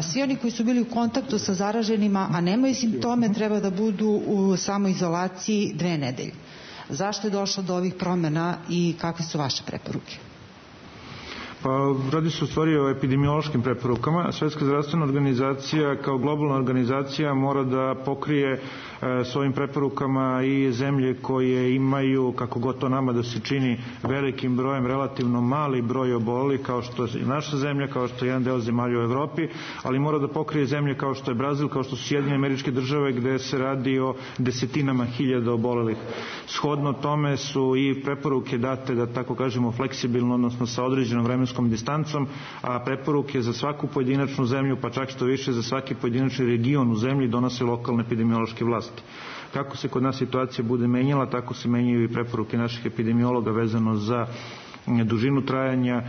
Svi oni koji su bili u kontaktu sa zaraženima, a nemaju simptome, treba da budu u samoizolaciji 2 nedelje. Zašto je došlo do ovih promjena i kakve su vaše preporuke? Pa radi se u stvari o epidemiološkim preporukama. Svetska zdravstvena organizacija kao globalna organizacija mora da pokrije s ovim preporukama i zemlje koje imaju, kako god to nama da se čini, velikim brojem, relativno mali broj obolelih, kao što je naša zemlja, kao što je jedan deo zemalja u Evropi, ali mora da pokrije zemlje kao što je Brazil, kao što su Sjedinjene Američke Države, gde se radi o desetinama hiljada obolelih. Shodno tome su i preporuke date, da tako kažemo, fleksibilno, odnosno sa određenom vremenskom distancom, a preporuke za svaku pojedinačnu zemlju, pa čak što više za svaki pojedinačni region u zemlji donose lokalne epidemiološke vlasti. Kako se kod nas situacija bude menjala, tako se menjaju i preporuke naših epidemiologa vezano za dužinu trajanja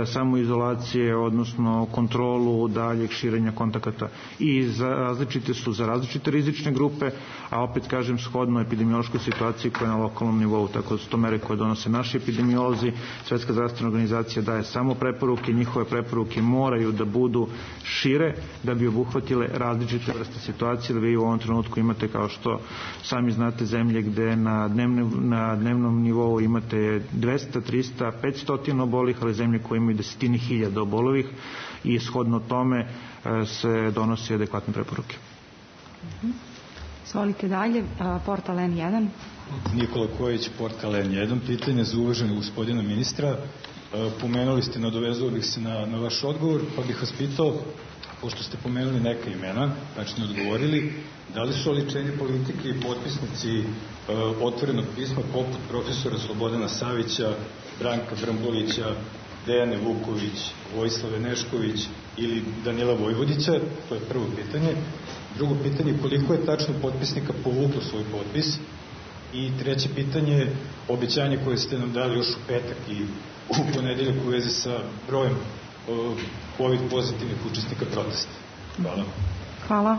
samoizolacije, odnosno kontrolu daljeg širenja kontakata. I različite su za različite rizične grupe, a opet kažem shodno epidemiološkoj situaciji koja je na lokalnom nivou, tako da su to mere koje donose naši epidemiolozi. Svetska zdravstvena organizacija daje samo preporuke, njihove preporuke moraju da budu šire da bi obuhvatile različite vrste situacije, da vi u ovom trenutku imate, kao što sami znate, zemlje gde na dnevnom nivou imate 200, 300, 500 obolih, ali zemlje koje imaju desetine hiljada obolivih i shodno tome se donose adekvatne preporuke. Izvolite dalje, portal N1. Nikola Kojić, portal N1. Pitanje za uvaženog gospodina ministra. Pomenuli ste, nadovezao bih se na vaš odgovor, pa bih vas pitao, pošto ste pomenuli neka imena, znači ne odgovorili, da li su oličenje politike i potpisnici otvorenog pisma poput profesora Slobodana Savića, Branka Brambolića, Dejane Vuković, Vojislave Nešković ili Danila Vojvodića? To je prvo pitanje. Drugo pitanje, koliko je tačno potpisnika povuklo svoj potpis? I treće pitanje, obećanje koje ste nam dali još u petak i u ponedeljak u vezi sa brojem COVID pozitivnih učesnika protesta. Hvala. Hvala.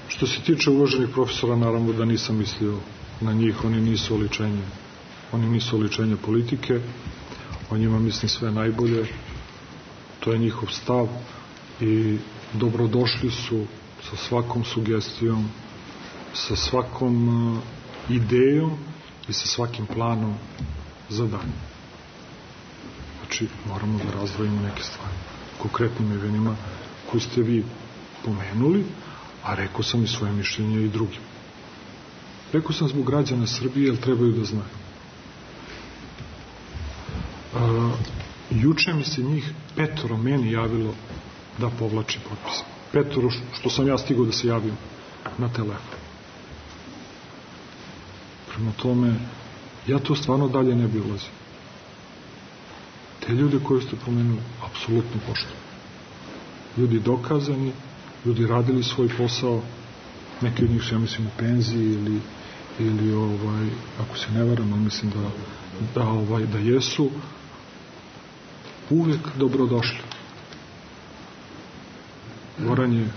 Što se tiče uvaženih profesora, naravno da nisam mislio na njih, oni nisu oličenje politike, o njima mislim sve najbolje, to je njihov stav i dobrodošli su sa svakom sugestijom, sa svakom idejom i sa svakim planom za dalje. Znači, moramo da razdvojimo neke stvari. Konkretnim imenima koji ste vi pomenuli, a rekao sam i svoje mišljenje i drugim. Rekao sam zbog građana Srbije, jer trebaju da znaju. Juče mi se njih 5 meni javilo da povlači potpis. 5 što sam ja stigao da se javim na telefon. Prema tome, ja to stvarno dalje ne bi ulazio. Te ljude koje ste pomenuli, apsolutno poštujem. Ljudi dokazani, ljudi radili svoj posao, neki od njih su, ja mislim, u penziji ili ako se ne varam, mislim da jesu, uvek dobrodošli. Goran je,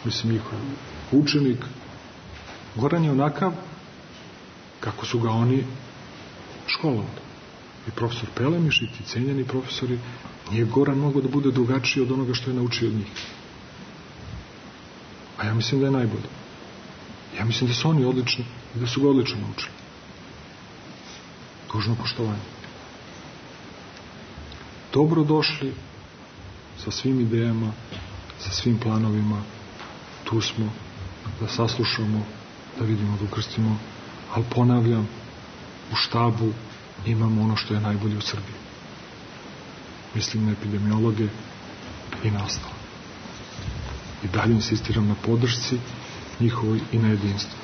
mislim, njihov učenik. Goran je onakav kako su ga oni školovali. I profesor Pelemiš i ti cenjeni profesori, nije Goran mogao da bude drugačiji od onoga što je naučio od njih. A ja mislim da je najbolje. Ja mislim da su oni odlični i da su ga odlično naučili. Dužno poštovanje. Dobrodošli sa svim idejama, sa svim planovima. Tu smo na da saslušamo, da vidimo, da ukrstimo, ali ponavljam, u štabu imamo ono što je najbolje u Srbiji. Mislim na epidemiologe i na ostalo. I dalje insistiram na podršci njihovoj i na jedinstvu.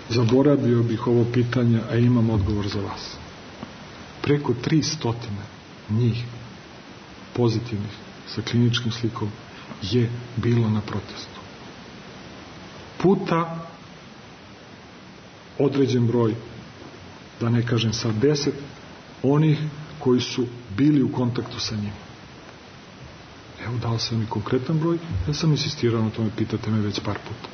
Zaboravio bih ovo pitanje, a imam odgovor za vas. Preko 300 njih pozitivnih sa kliničkim slikom je bilo na protestu. Puta određen broj, da ne kažem sad 10, onih koji su bili u kontaktu sa njim. Evo, dao sam i konkretan broj, ja sam insistirao na tome, pitate me već par puta.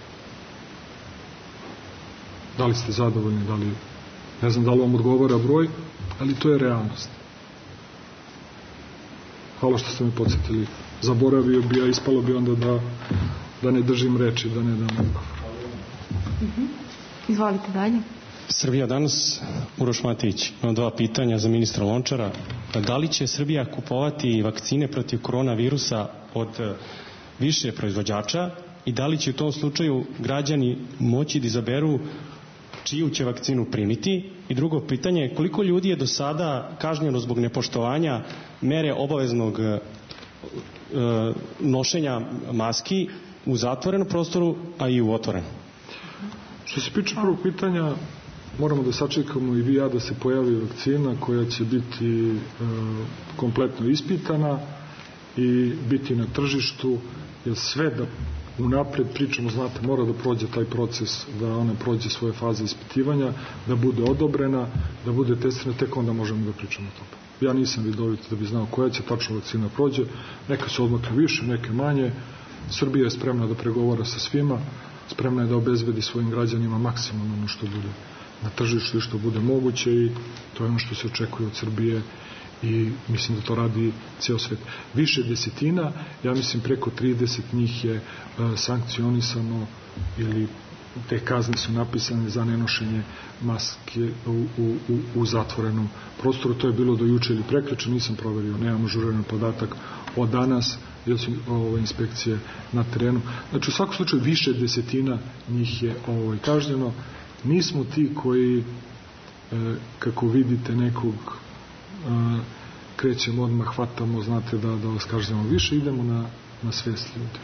Da li ste zadovoljni, da li, ne znam da li vam odgovara broj, ali to je realnost. Hvala što ste me podsjetili. Zaboravio bi, a ispalo bi onda da ne držim reči, da ne dam odgovor. Izvolite dalje. Srbija danas, Uroš Matejić, imam 2 pitanja za ministra Lončara. Da li će Srbija kupovati vakcine protiv koronavirusa od više proizvođača i da li će u tom slučaju građani moći da izaberu čiju će vakcinu primiti? I drugo pitanje, koliko ljudi je do sada kažnjeno zbog nepoštovanja mere obaveznog nošenja maski u zatvorenom prostoru, a i u otvorenom? Što se piče prvog pitanja, moramo da sačekamo i vi i ja da se pojavi vakcina koja će biti kompletno ispitana i biti na tržištu, jer sve da unapred pričamo, znate, mora da prođe taj proces, da ona prođe svoje faze ispitivanja, da bude odobrena, da bude testirana, tek onda možemo da pričamo o tome. Ja nisam vidovit da bi znao koja će tačno vakcina prođe, neka se odmakle više, neke manje. Srbija je spremna da pregovara sa svima, spremna je da obezbedi svojim građanima maksimum ono što bude na tržištu i što bude moguće, i to je ono što se očekuje od Srbije i mislim da to radi ceo svet. Više desetina, ja mislim preko 30 njih je sankcionisano ili te kazne su napisane za nenošenje maske u zatvorenom prostoru. To je bilo do juče ili prekjuče, nisam proverio, nemam ažuriran podatak od danas, jer su inspekcije na terenu. Znači, u svakom slučaju više desetina njih je kažnjeno. Nismo ti koji, kako vidite, nekog krećemo odmah, hvatamo, znate, da vas kažemo više, idemo na svest ljudi.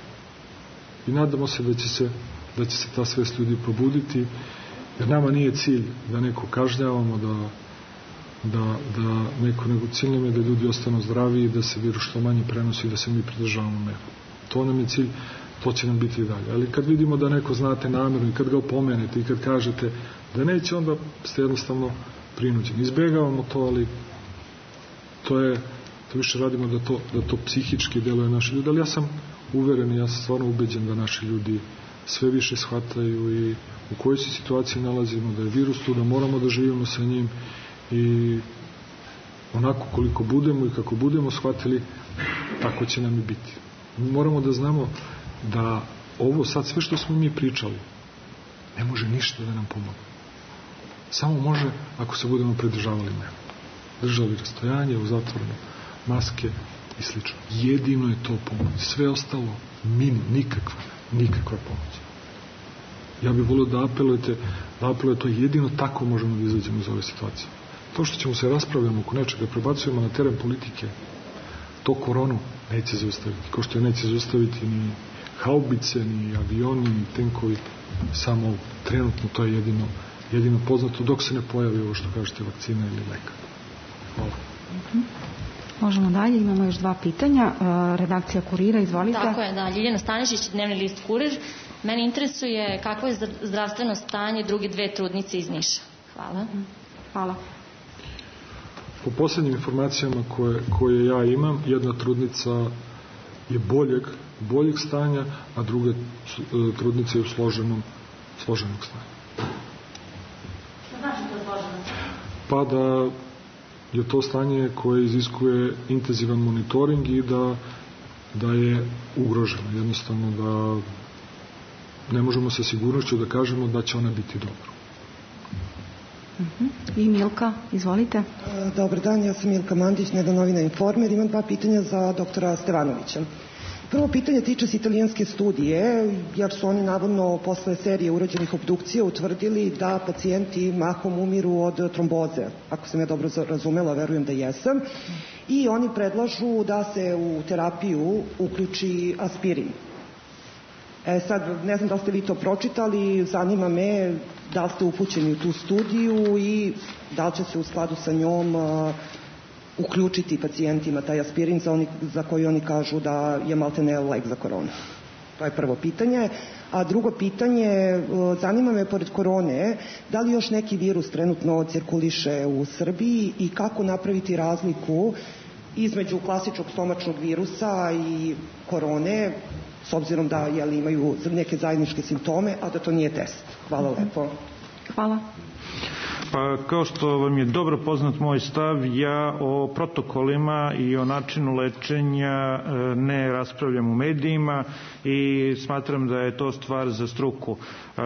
I nadamo se da će se ta svest ljudi probuditi, jer nama nije cilj da neko kažnjavamo, da neko, nego cilj nam je da ljudi ostanu zdravi i da se virus što manje prenosi i da se mi pridržavamo mera. To nam je cilj, to će nam biti i dalje. Ali kad vidimo da neko znate namjerno i kad ga opomenete i kad kažete da neće, onda ste jednostavno prinuđeni. Izbjegavamo to, ali to više radimo da to psihički deluje naši ljudi, ali ja sam uveren i ja sam stvarno ubeđen da naši ljudi sve više shvataju i u kojoj se situaciji nalazimo, da je virus tu, da moramo da živimo sa njim i onako koliko budemo i kako budemo shvatili, tako će nam i biti. Mi moramo da znamo da ovo sad sve što smo mi pričali ne može ništa da nam pomogne. Samo može ako se budemo pridržavali mera. Držali rastojanje, u zatvorene maske i slično. Jedino je to pomoć. Sve ostalo nikakva pomoć. Ja bih volio da apelujete, to jedino tako možemo da izađemo iz ove situacije. To što ćemo se raspravljamo oko nečega, prebacujemo na teren politike, to koronu neće zaustaviti. Kao što je neće zaustaviti ni haubice, ni avioni, ni tenkovi, samo trenutno to je jedino poznato dok se ne pojavi ovo što kažete vakcina ili leka. Hvala. Možemo dalje, imamo još 2 pitanja. Redakcija Kurira, izvolite. Tako je, da. Ljiljana Stanišić, Dnevni list Kurir. Mene interesuje kakvo je zdravstveno stanje druge 2 trudnice iz Niša. Hvala. Hvala. Po poslednjim informacijama koje ja imam, jedna trudnica je boljeg stanja, a druga trudnica je u složenog stanja. Što znači to složeno? Pa da je to stanje koje iziskuje intenzivan monitoring i da je ugroženo. Jednostavno da ne možemo sa sigurnošću da kažemo da će ona biti dobro. I Milka, izvolite. Dobar dan, ja sam Milka Mandić, Dnevna novina Informer. Imam 2 pitanja za doktora Stevanovića. Prvo pitanje tiče se italijanske studije, jer su oni navodno posle serije urađenih obdukcija utvrdili da pacijenti mahom umiru od tromboze. Ako sam ja dobro razumela, verujem da jesam. I oni predlažu da se u terapiju uključi aspirin. Sad, ne znam da li ste vi to pročitali, zanima me da li ste upućeni u tu studiju i da li će se u skladu sa njom uključiti pacijentima taj aspirin za koji oni kažu da je maltene lek za koronu. To je prvo pitanje. A drugo pitanje, zanima me pored korone, da li još neki virus trenutno cirkuliše u Srbiji i kako napraviti razliku između klasičnog stomačnog virusa i korone, s obzirom da imaju neke zajedničke simptome, a da to nije test. Hvala lepo. Hvala. Pa kao što vam je dobro poznat moj stav, ja o protokolima i o načinu lečenja ne raspravljam u medijima i smatram da je to stvar za struku.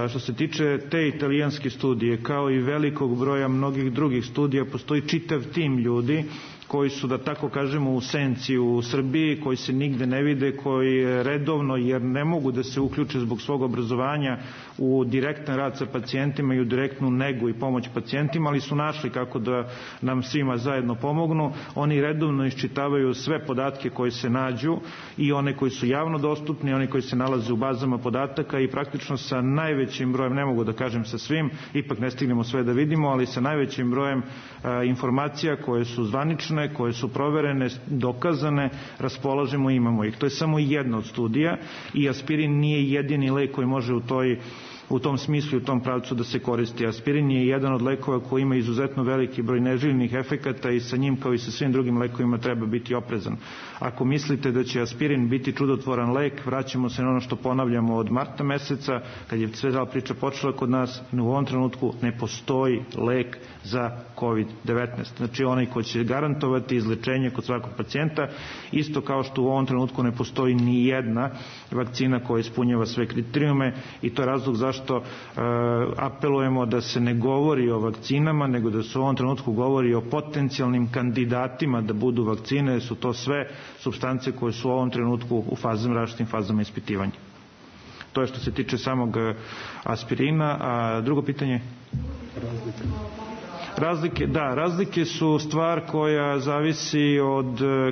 Što se tiče te italijanske studije, kao i velikog broja mnogih drugih studija, postoji čitav tim ljudi koji su, da tako kažemo, u senci u Srbiji, koji se nigde ne vide, koji redovno, jer ne mogu da se uključe zbog svog obrazovanja u direktan rad sa pacijentima i u direktnu negu i pomoć pacijentima, ali su našli kako da nam svima zajedno pomognu. Oni redovno iščitavaju sve podatke koji se nađu, i one koji su javno dostupni, i one koji se nalaze u bazama podataka, i praktično sa najvećim brojem, ne mogu da kažem sa svim, ipak ne stignemo sve da vidimo, ali sa najvećim brojem informacija koje su zvanične, koje su proverene, dokazane, raspolažemo i imamo ih. To je samo jedna od studija i aspirin nije jedini lek koji može u tom smislu i u tom pravcu da se koristi. Aspirin je jedan od lekova koji ima izuzetno veliki broj neželjenih efekata i sa njim, kao i sa svim drugim lekovima, treba biti oprezan. Ako mislite da će aspirin biti čudotvoran lek, vraćamo se na ono što ponavljamo od marta meseca, kad je sve priča počela kod nas. U ovom trenutku ne postoji lek za COVID-19. Znači onaj ko će garantovati izlečenje kod svakog pacijenta, isto kao što u ovom trenutku ne postoji ni jedna vakcina koja ispunjava sve kriterijume, i to je razlog zašto apelujemo da se ne govori o vakcinama, nego da se u ovom trenutku govori o potencijalnim kandidatima da budu vakcine. Su to sve supstance koje su u ovom trenutku u različitim fazama ispitivanja. To je što se tiče samog aspirina. A drugo pitanje? Razlike su stvar koja zavisi od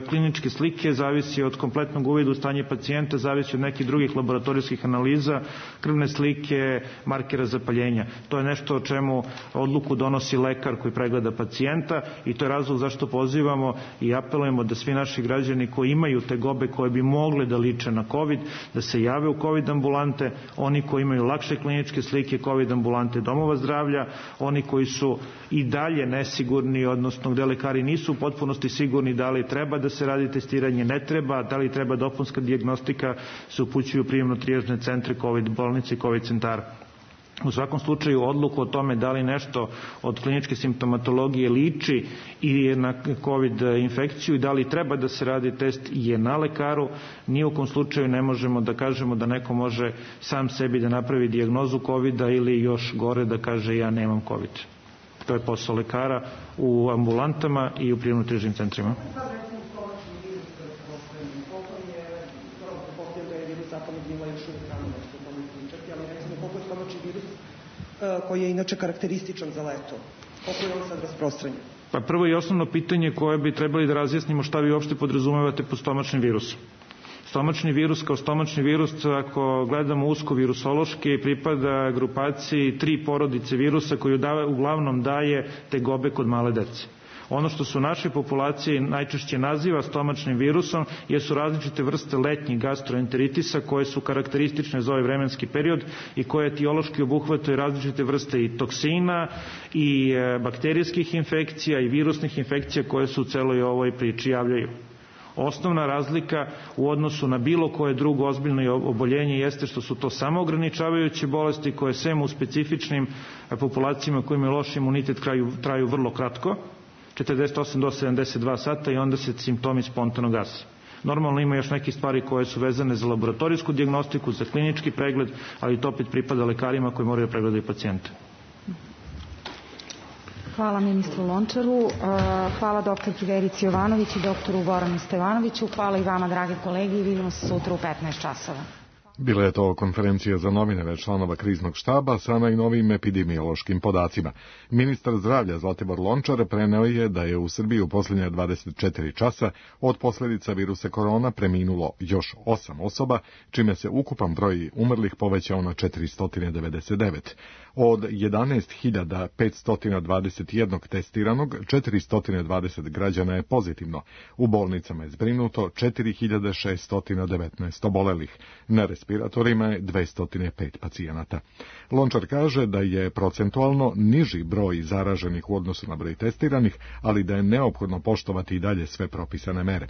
kliničke slike, zavisi od kompletnog uvida u stanje pacijenta, zavisi od nekih drugih laboratorijskih analiza, krvne slike, markera zapaljenja. To je nešto o čemu odluku donosi lekar koji pregleda pacijenta, i to je razlog zašto pozivamo i apelujemo da svi naši građani koji imaju tegobe koje bi mogle da liče na COVID, da se jave u COVID ambulante, oni koji imaju lakše kliničke slike, COVID ambulante domova zdravlja, oni koji su i dalje nesigurni, odnosno gde lekari nisu u potpunosti sigurni da li treba da se radi testiranje, ne treba, da li treba dopunska dijagnostika, se upućuju prijemno-trijažne centre COVID bolnice i COVID centara. U svakom slučaju, odluku o tome da li nešto od kliničke simptomatologije liči i na COVID infekciju i da li treba da se radi test je na lekaru. Ni u kom slučaju ne možemo da kažemo da neko može sam sebi da napravi dijagnozu COVID-a ili još gore da kaže ja nemam COVID. To je posao lekara u ambulantama i u prijemno-trijažnim centrima. Koji je inače karakterističan za leto. Koliko je on sad rasprostranjen? Pa prvo i osnovno pitanje koje bi trebali da razjasnimo, šta vi uopšte podrazumevate pod stomačnim virusom. Stomačni virus kao stomačni virus, ako gledamo usko virusološki, pripada grupaciji 3 porodice virusa koju uglavnom daje tegobe kod male dece. Ono što su naše populacije najčešće naziva stomačnim virusom jesu različite vrste letnjih gastroenteritisa koje su karakteristične za ovaj vremenski period i koje etiološki obuhvataju različite vrste i toksina i bakterijskih infekcija i virusnih infekcija koje se u celoj ovoj priči javljaju. Osnovna razlika u odnosu na bilo koje drugo ozbiljno oboljenje jeste što su to samo ograničavajuće bolesti koje sem u specifičnim populacijama koji imaju loš imunitet traju vrlo kratko, 48 do 72 sata, i onda se simptomi spontano gase. Normalno ima još neke stvari koje su vezane za laboratorijsku dijagnostiku, za klinički pregled, ali to opet pripada lekarima koji moraju da pregledaju pacijente. Hvala ministru Lončaru, hvala dr. Verici Jovanović i doktoru Goranu Stevanoviću, hvala i vama, dragi kolegi, i vidimo se sutra u 15 časova. Bila je to konferencija za novinare članova kriznog štaba sa najnovijim epidemiološkim podacima. Ministar zdravlja Zlatibor Lončar preneo je da je u Srbiji u posljednje 24 časa od posljedica virusa korona preminulo još 8 osoba, čime se ukupan broj umrlih povećao na 499. Od 11.521 testiranog, 420 građana je pozitivno. U bolnicama je zbrinuto 4.619 obolelih. Na respiratorima je 205 pacijenata. Lončar kaže da je procentualno niži broj zaraženih u odnosu na broj testiranih, ali da je neophodno poštovati i dalje sve propisane mere.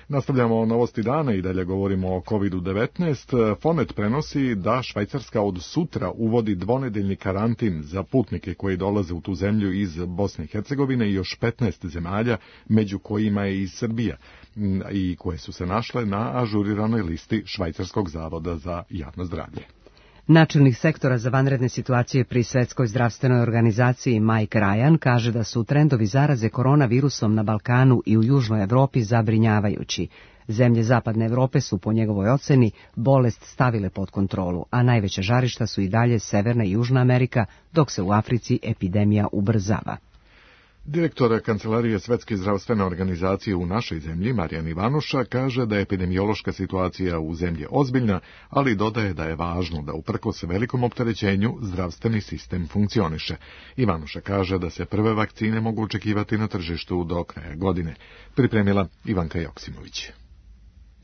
Nastavljamo novosti dana i dalje govorimo o COVID-19. Fonet prenosi da Švajcarska od sutra uvodi dvonedeljni karantin za putnike koji dolaze u tu zemlju iz Bosne i Hercegovine i još 15 zemalja, među kojima je i Srbija, i koje su se našle na ažuriranoj listi Švajcarskog zavoda za javno zdravlje. Načelnik sektora za vanredne situacije pri Svetskoj zdravstvenoj organizaciji Mike Ryan kaže da su trendovi zaraze koronavirusom na Balkanu i u Južnoj Evropi zabrinjavajući. Zemlje Zapadne Evrope su, po njegovoj oceni, bolest stavile pod kontrolu, a najveća žarišta su i dalje Severna i Južna Amerika, dok se u Africi epidemija ubrzava. Direktor Kancelarije Svetske zdravstvene organizacije u našoj zemlji, Marijan Ivanuša, kaže da je epidemiološka situacija u zemlji ozbiljna, ali dodaje da je važno da uprkos velikom opterećenju zdravstveni sistem funkcioniše. Ivanuša kaže da se prve vakcine mogu očekivati na tržištu do kraja godine. Pripremila Ivanka Joksimović.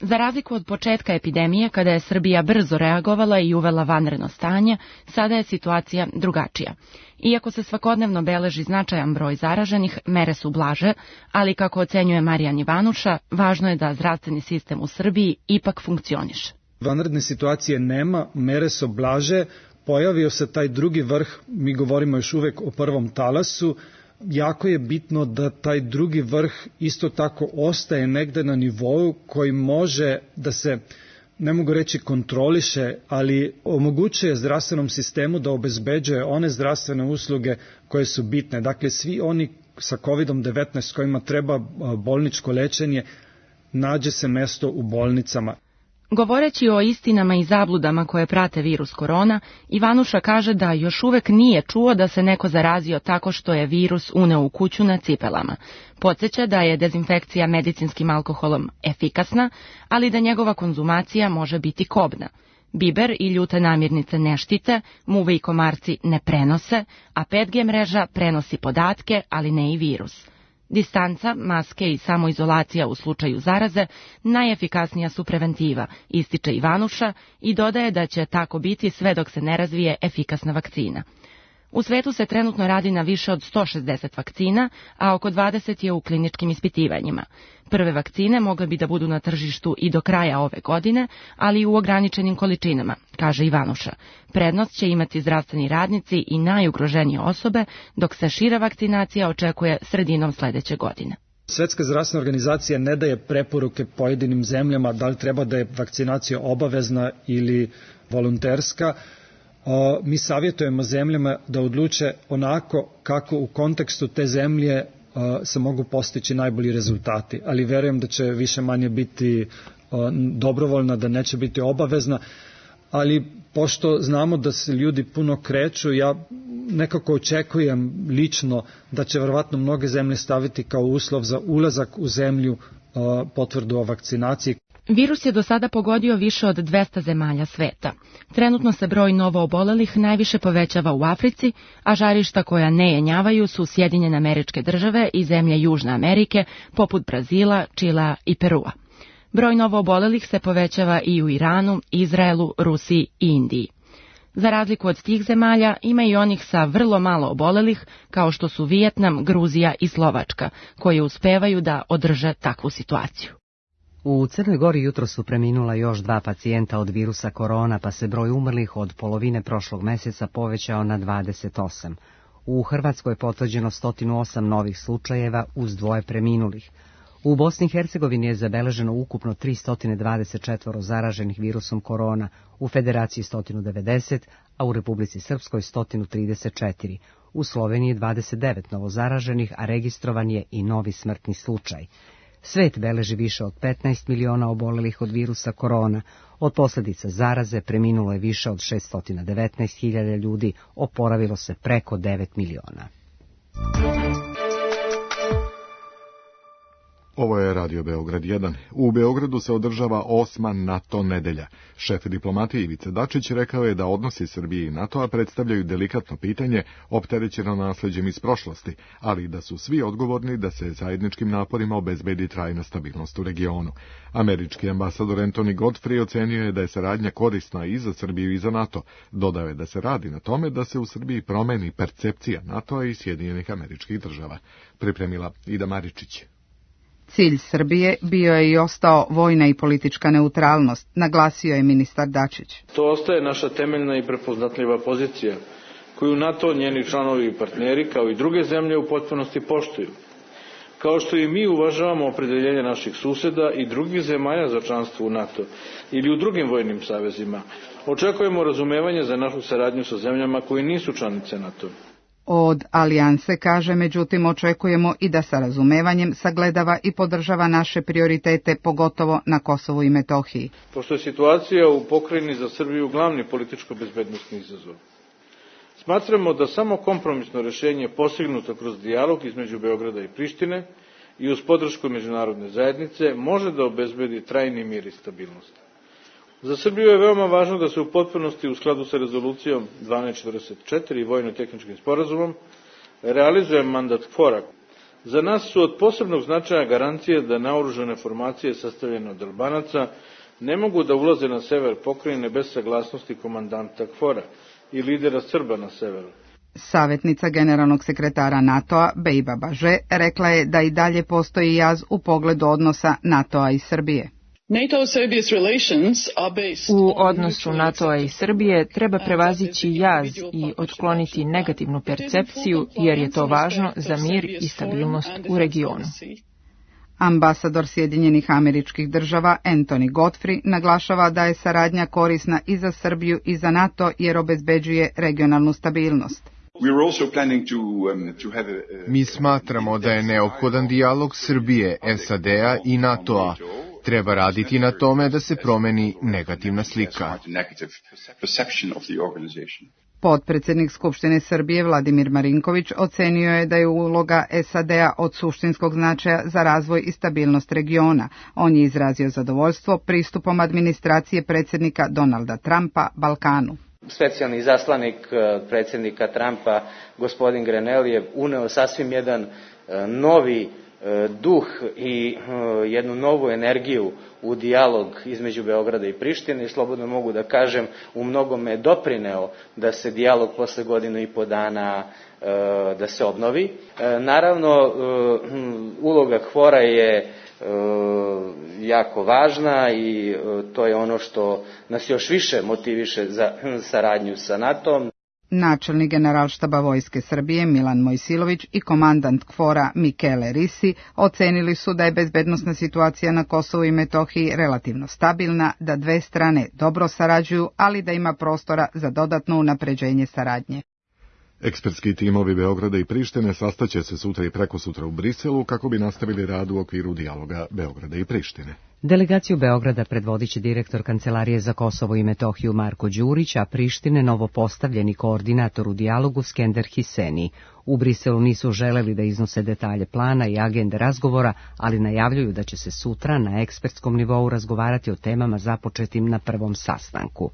Za razliku od početka epidemije, kada je Srbija brzo reagovala i uvela vanredno stanje, sada je situacija drugačija. Iako se svakodnevno beleži značajan broj zaraženih, mere su blaže, ali kako ocenjuje Marijan Ivanuša, važno je da zdravstveni sistem u Srbiji ipak funkcioniše. Vanredne situacije nema, mere su blaže, pojavio se taj drugi vrh, mi govorimo još uvek o prvom talasu. Jako je bitno da taj drugi vrh isto tako ostaje negde na nivou koji može da se, ne mogu reći kontroliše, ali omogućuje zdravstvenom sistemu da obezbeđuje one zdravstvene usluge koje su bitne. Dakle, svi oni sa COVID-19 kojima treba bolničko lečenje, nađe se mesto u bolnicama. Govoreći o istinama i zabludama koje prate virus korona, Ivanuša kaže da još uvek nije čuo da se neko zarazio tako što je virus uneo u kuću na cipelama. Podsjeća da je dezinfekcija medicinskim alkoholom efikasna, ali da njegova konzumacija može biti kobna. Biber i ljute namirnice ne štite, muve i komarci ne prenose, a 5G mreža prenosi podatke, ali ne i virus. Distanca, maske i samoizolacija u slučaju zaraze najefikasnija su preventiva, ističe Ivanuša i dodaje da će tako biti sve dok se ne razvije efikasna vakcina. U svetu se trenutno radi na više od 160 vakcina, a oko 20 je u kliničkim ispitivanjima. Prve vakcine mogle bi da budu na tržištu i do kraja ove godine, ali i u ograničenim količinama, kaže Ivanuša. Prednost će imati zdravstveni radnici i najugroženije osobe, dok se šira vakcinacija očekuje sredinom sledeće godine. Svetska zdravstvena organizacija ne daje preporuke pojedinim zemljama da li treba da je vakcinacija obavezna ili volonterska. Mi savjetujemo zemljama da odluče onako kako u kontekstu te zemlje se mogu postići najbolji rezultati, ali verujem da će više manje biti dobrovoljna, da neće biti obavezna, ali pošto znamo da se ljudi puno kreću, ja nekako očekujem lično da će verovatno mnoge zemlje staviti kao uslov za ulazak u zemlju potvrdu o vakcinaciji. Virus je do sada pogodio više od 200 zemalja sveta. Trenutno se broj novoobolelih najviše povećava u Africi, a žarišta koja ne jenjavaju su Sjedinjene Američke Države i zemlje Južne Amerike, poput Brazila, Čilea i Perua. Broj novoobolelih se povećava i u Iranu, Izraelu, Rusiji i Indiji. Za razliku od tih zemalja, ima i onih sa vrlo malo obolelih, kao što su Vijetnam, Gruzija i Slovačka, koji uspevaju da održe takvu situaciju. U Crnoj Gori jutro su preminula još 2 pacijenta od virusa korona, pa se broj umrlih od polovine prošlog meseca povećao na 28. U Hrvatskoj je potvrđeno 108 novih slučajeva uz 2 preminulih. U Bosni i Hercegovini je zabeleženo ukupno 324 zaraženih virusom korona, u Federaciji 190, a u Republici Srpskoj 134. U Sloveniji 29 novozaraženih, a registrovan je i novi smrtni slučaj. Svet beleži više od 15 miliona obolelih od virusa korona. Od posljedica zaraze preminulo je više od 619.000 ljudi, oporavilo se preko 9 miliona. Ovo je Radio Beograd 1. U Beogradu se održava 8. NATO nedelja. Šef diplomatije Ivica Dačić rekao je da odnosi Srbije i NATO-a predstavljaju delikatno pitanje, opterećeno nasleđem iz prošlosti, ali da su svi odgovorni da se zajedničkim naporima obezbedi trajna stabilnost u regionu. Američki ambasador Anthony Godfrey ocenio je da je saradnja korisna i za Srbiju i za NATO. Dodao je da se radi na tome da se u Srbiji promeni percepcija NATO-a i Sjedinjenih Američkih Država. Pripremila Ida Maričić. Cilj Srbije bio je i ostao vojna i politička neutralnost, naglasio je ministar Dačić. To ostaje naša temeljna i prepoznatljiva pozicija, koju NATO, njeni članovi i partneri, kao i druge zemlje u potpunosti poštuju. Kao što i mi uvažavamo opredeljenje naših suseda i drugih zemalja za članstvo u NATO ili u drugim vojnim savezima, očekujemo razumevanje za našu saradnju sa zemljama koje nisu članice NATO. Od alijanse, kaže, međutim očekujemo i da sa razumevanjem sagledava i podržava naše prioritete, pogotovo na Kosovu i Metohiji. Pošto je situacija u pokrajini za Srbiju glavni političko-bezbednosni izazov, smatramo da samo kompromisno rješenje postignuto kroz dijalog između Beograda i Prištine i uz podršku međunarodne zajednice može da obezbedi trajni mir i stabilnost. Za Srbiju je veoma važno da se u potpunosti u skladu sa rezolucijom 1244 i vojno-tehničkim sporazumom realizuje mandat KFOR-a. Za nas su od posebnog značaja garancije da naoružane formacije sastavljene od Albanaca ne mogu da ulaze na sever pokrajine bez saglasnosti komandanta KFOR-a i lidera Srba na severu. Savjetnica generalnog sekretara NATO-a Bejba Baže rekla je da i dalje postoji jaz u pogledu odnosa NATO-a i Srbije. U odnosu NATO-a i Srbije treba prevazići jaz i otkloniti negativnu percepciju, jer je to važno za mir i stabilnost u regionu. Ambasador Sjedinjenih Američkih Država Anthony Godfrey naglašava da je saradnja korisna i za Srbiju i za NATO jer obezbeđuje regionalnu stabilnost. Mi smatramo da je neophodan dijalog Srbije, SAD-a i NATO-a. Treba raditi na tome da se promeni negativna slika. Potpredsjednik Skupštine Srbije Vladimir Marinković ocenio je da je uloga SAD-a od suštinskog značaja za razvoj i stabilnost regiona. On je izrazio zadovoljstvo pristupom administracije predsjednika Donalda Trumpa Balkanu. Specijalni izaslanik predsjednika Trumpa, gospodin Grenell, je uneo sasvim jedan novi duh i jednu novu energiju u dijalog između Beograda i Prištine i slobodno mogu da kažem u mnogome doprineo da se dijalog posle godinu i po dana da se obnovi. Naravno, uloga KFOR-a je jako važna i to je ono što nas još više motiviše za saradnju sa NATO-om. Načelnik generalštaba Vojske Srbije Milan Mojsilović i komandant KFOR-a Mikele Risi ocenili su da je bezbednosna situacija na Kosovu i Metohiji relativno stabilna, da dve strane dobro sarađuju, ali da ima prostora za dodatno unapređenje saradnje. Ekspertski timovi Beograda i Prištine sastaće se sutra i prekosutra u Briselu kako bi nastavili rad u okviru dijaloga Beograda i Prištine. Delegaciju Beograda predvodit će direktor Kancelarije za Kosovo i Metohiju Marko Đurić, a Prištine novopostavljeni koordinator u dijalogu Skender Hiseni. U Briselu nisu želeli da iznose detalje plana i agende razgovora, ali najavljuju da će se sutra na ekspertskom nivou razgovarati o temama započetim na prvom sastanku.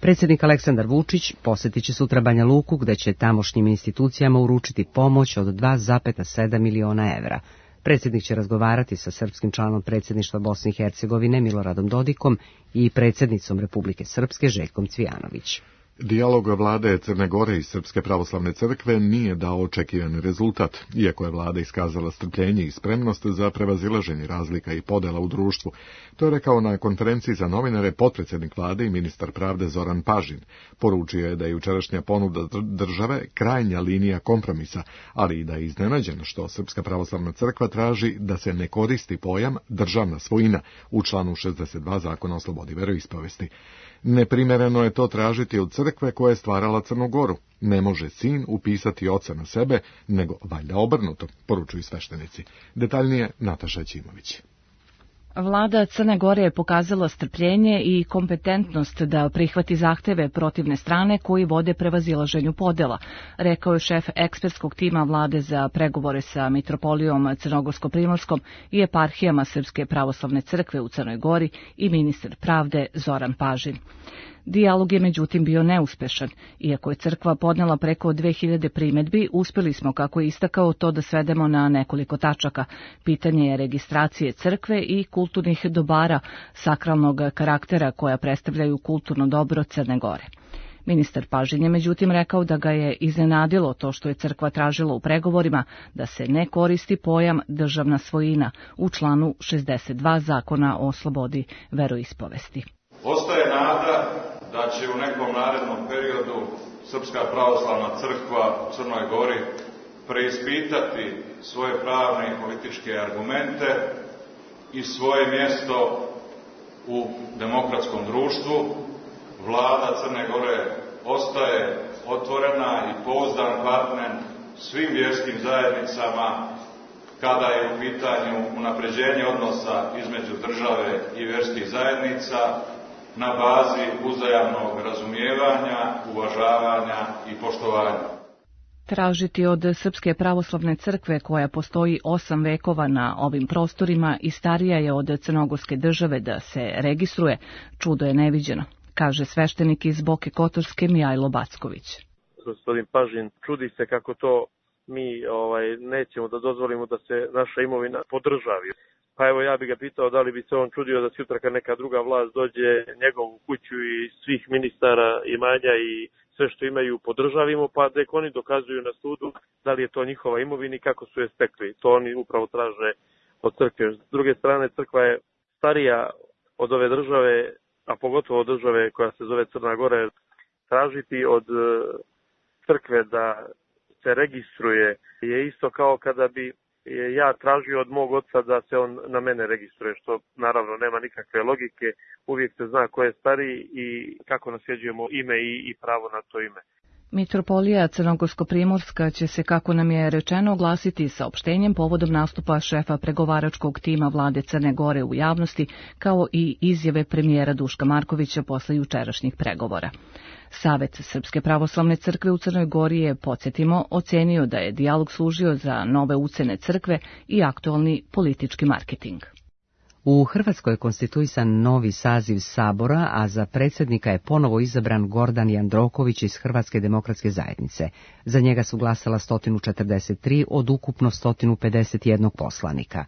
Predsjednik Aleksandar Vučić posjetit će sutra Banja Luku, gde će tamošnjim institucijama uručiti pomoć od 2,7 miliona evra. Predsjednik će razgovarati sa srpskim članom predsjedništva Bosne i Hercegovine Miloradom Dodikom i predsjednicom Republike Srpske Željkom Cvijanović. Dijalog vlade Crne Gore i Srpske pravoslavne crkve nije dao očekivani rezultat, iako je vlada iskazala strpljenje i spremnost za prevazilaženje razlika i podela u društvu. To je rekao na konferenciji za novinare potpredsjednik vlade i ministar pravde Zoran Pažin. Poručio je da je jučerašnja ponuda države krajnja linija kompromisa, ali i da je iznenađen što Srpska pravoslavna crkva traži da se ne koristi pojam državna svojina u članu 62 Zakona o slobodi veroispovesti. Neprimereno je to tražiti od crkve koja je stvarala Crnu Goru. Ne može sin upisati oca na sebe, nego valjda obrnuto, poručuju sveštenici. Detaljnije Nataša Ćimović. Vlada Crne Gore je pokazala strpljenje i kompetentnost da prihvati zahteve protivne strane koji vode prevazilaženju podela, rekao je šef ekspertskog tima vlade za pregovore sa Mitropolijom Crnogorsko-Primorskom i eparhijama Srpske pravoslavne crkve u Crnoj Gori i ministar pravde Zoran Pažin. Dijalog je međutim bio neuspešan. Iako je crkva podnela preko 2000 primedbi, uspeli smo, kako je istakao, to da svedemo na nekoliko tačaka. Pitanje je registracije crkve i kulturnih dobara sakralnog karaktera koja predstavljaju kulturno dobro Crne Gore. Ministar Pažin je međutim rekao da ga je iznenadilo to što je crkva tražila u pregovorima da se ne koristi pojam državna svojina u članu 62 Zakona o slobodi veroispovesti. Ostaje nada da će u nekom narednom periodu Srpska pravoslavna crkva u Crnoj Gori preispitati svoje pravne i političke argumente i svoje mjesto u demokratskom društvu. Vlada Crne Gore ostaje otvorena i pouzdan partner svim vjerskim zajednicama kada je u pitanju unapređenje odnosa između države i vjerskih zajednica na bazi uzajamnog razumijevanja, uvažavanja i poštovanja. Tražiti od Srpske pravoslavne crkve, koja postoji 8 vekova na ovim prostorima i starija je od crnogorske države, da se registruje, čudo je neviđeno, kaže sveštenik iz Boke Kotorske Mijajlo Backović. Gospodin Pažin čudi se kako to mi nećemo da dozvolimo da se naša imovina podržavi. Pa evo, ja bih ga pitao da li bi se on čudio da sutra kad neka druga vlast dođe njegovu kuću i svih ministara imanja i sve što imaju podržavimo, pa da oni dokazuju na sudu da li je to njihova imovina i kako su je stekli. To oni upravo traže od crkve. S druge strane, crkva je starija od ove države, a pogotovo od države koja se zove Crna Gora. Tražiti od crkve da se registruje je isto kao kada bi ja tražio od mog oca da se on na mene registruje, što naravno nema nikakve logike. Uvijek se zna ko je stariji i kako nasljeđujemo ime i pravo na to ime. Mitropolija Crnogorsko-Primorska će se, kako nam je rečeno, oglasiti saopštenjem povodom nastupa šefa pregovaračkog tima vlade Crne Gore u javnosti, kao i izjave premijera Duška Markovića posle jučerašnjih pregovora. Savet Srpske pravoslavne crkve u Crnoj Gori je, podsjetimo, ocenio da je dijalog služio za nove ucene crkve i aktualni politički marketing. U Hrvatskoj je konstituisan novi saziv Sabora, a za predsjednika je ponovo izabran Gordan Jandroković iz Hrvatske demokratske zajednice. Za njega su glasala 143 od ukupno 151 poslanika.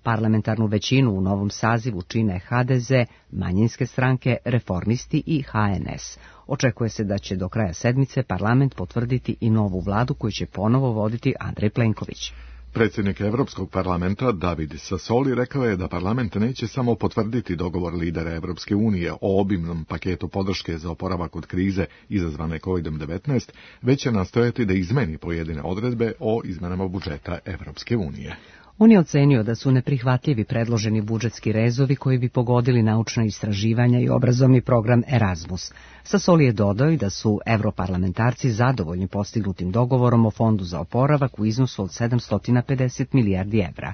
Parlamentarnu većinu u novom sazivu čine HDZ, manjinske stranke, Reformisti i HNS. Očekuje se da će do kraja sedmice parlament potvrditi i novu vladu koju će ponovo voditi Andrej Plenković. Predsjednik Europskog parlamenta David Sassoli rekao je da parlament neće samo potvrditi dogovor lidera Evropske unije o obimnom paketu podrške za oporavak od krize izazvane COVID-19, već će nastojati da izmeni pojedine odredbe o izmenama budžeta Evropske unije. On je ocenio da su neprihvatljivi predloženi budžetski rezovi koji bi pogodili naučna istraživanja i obrazovni program Erasmus. Sassoli je dodao i da su europarlamentarci zadovoljni postignutim dogovorom o fondu za oporavak u iznosu od 750 milijardi evra.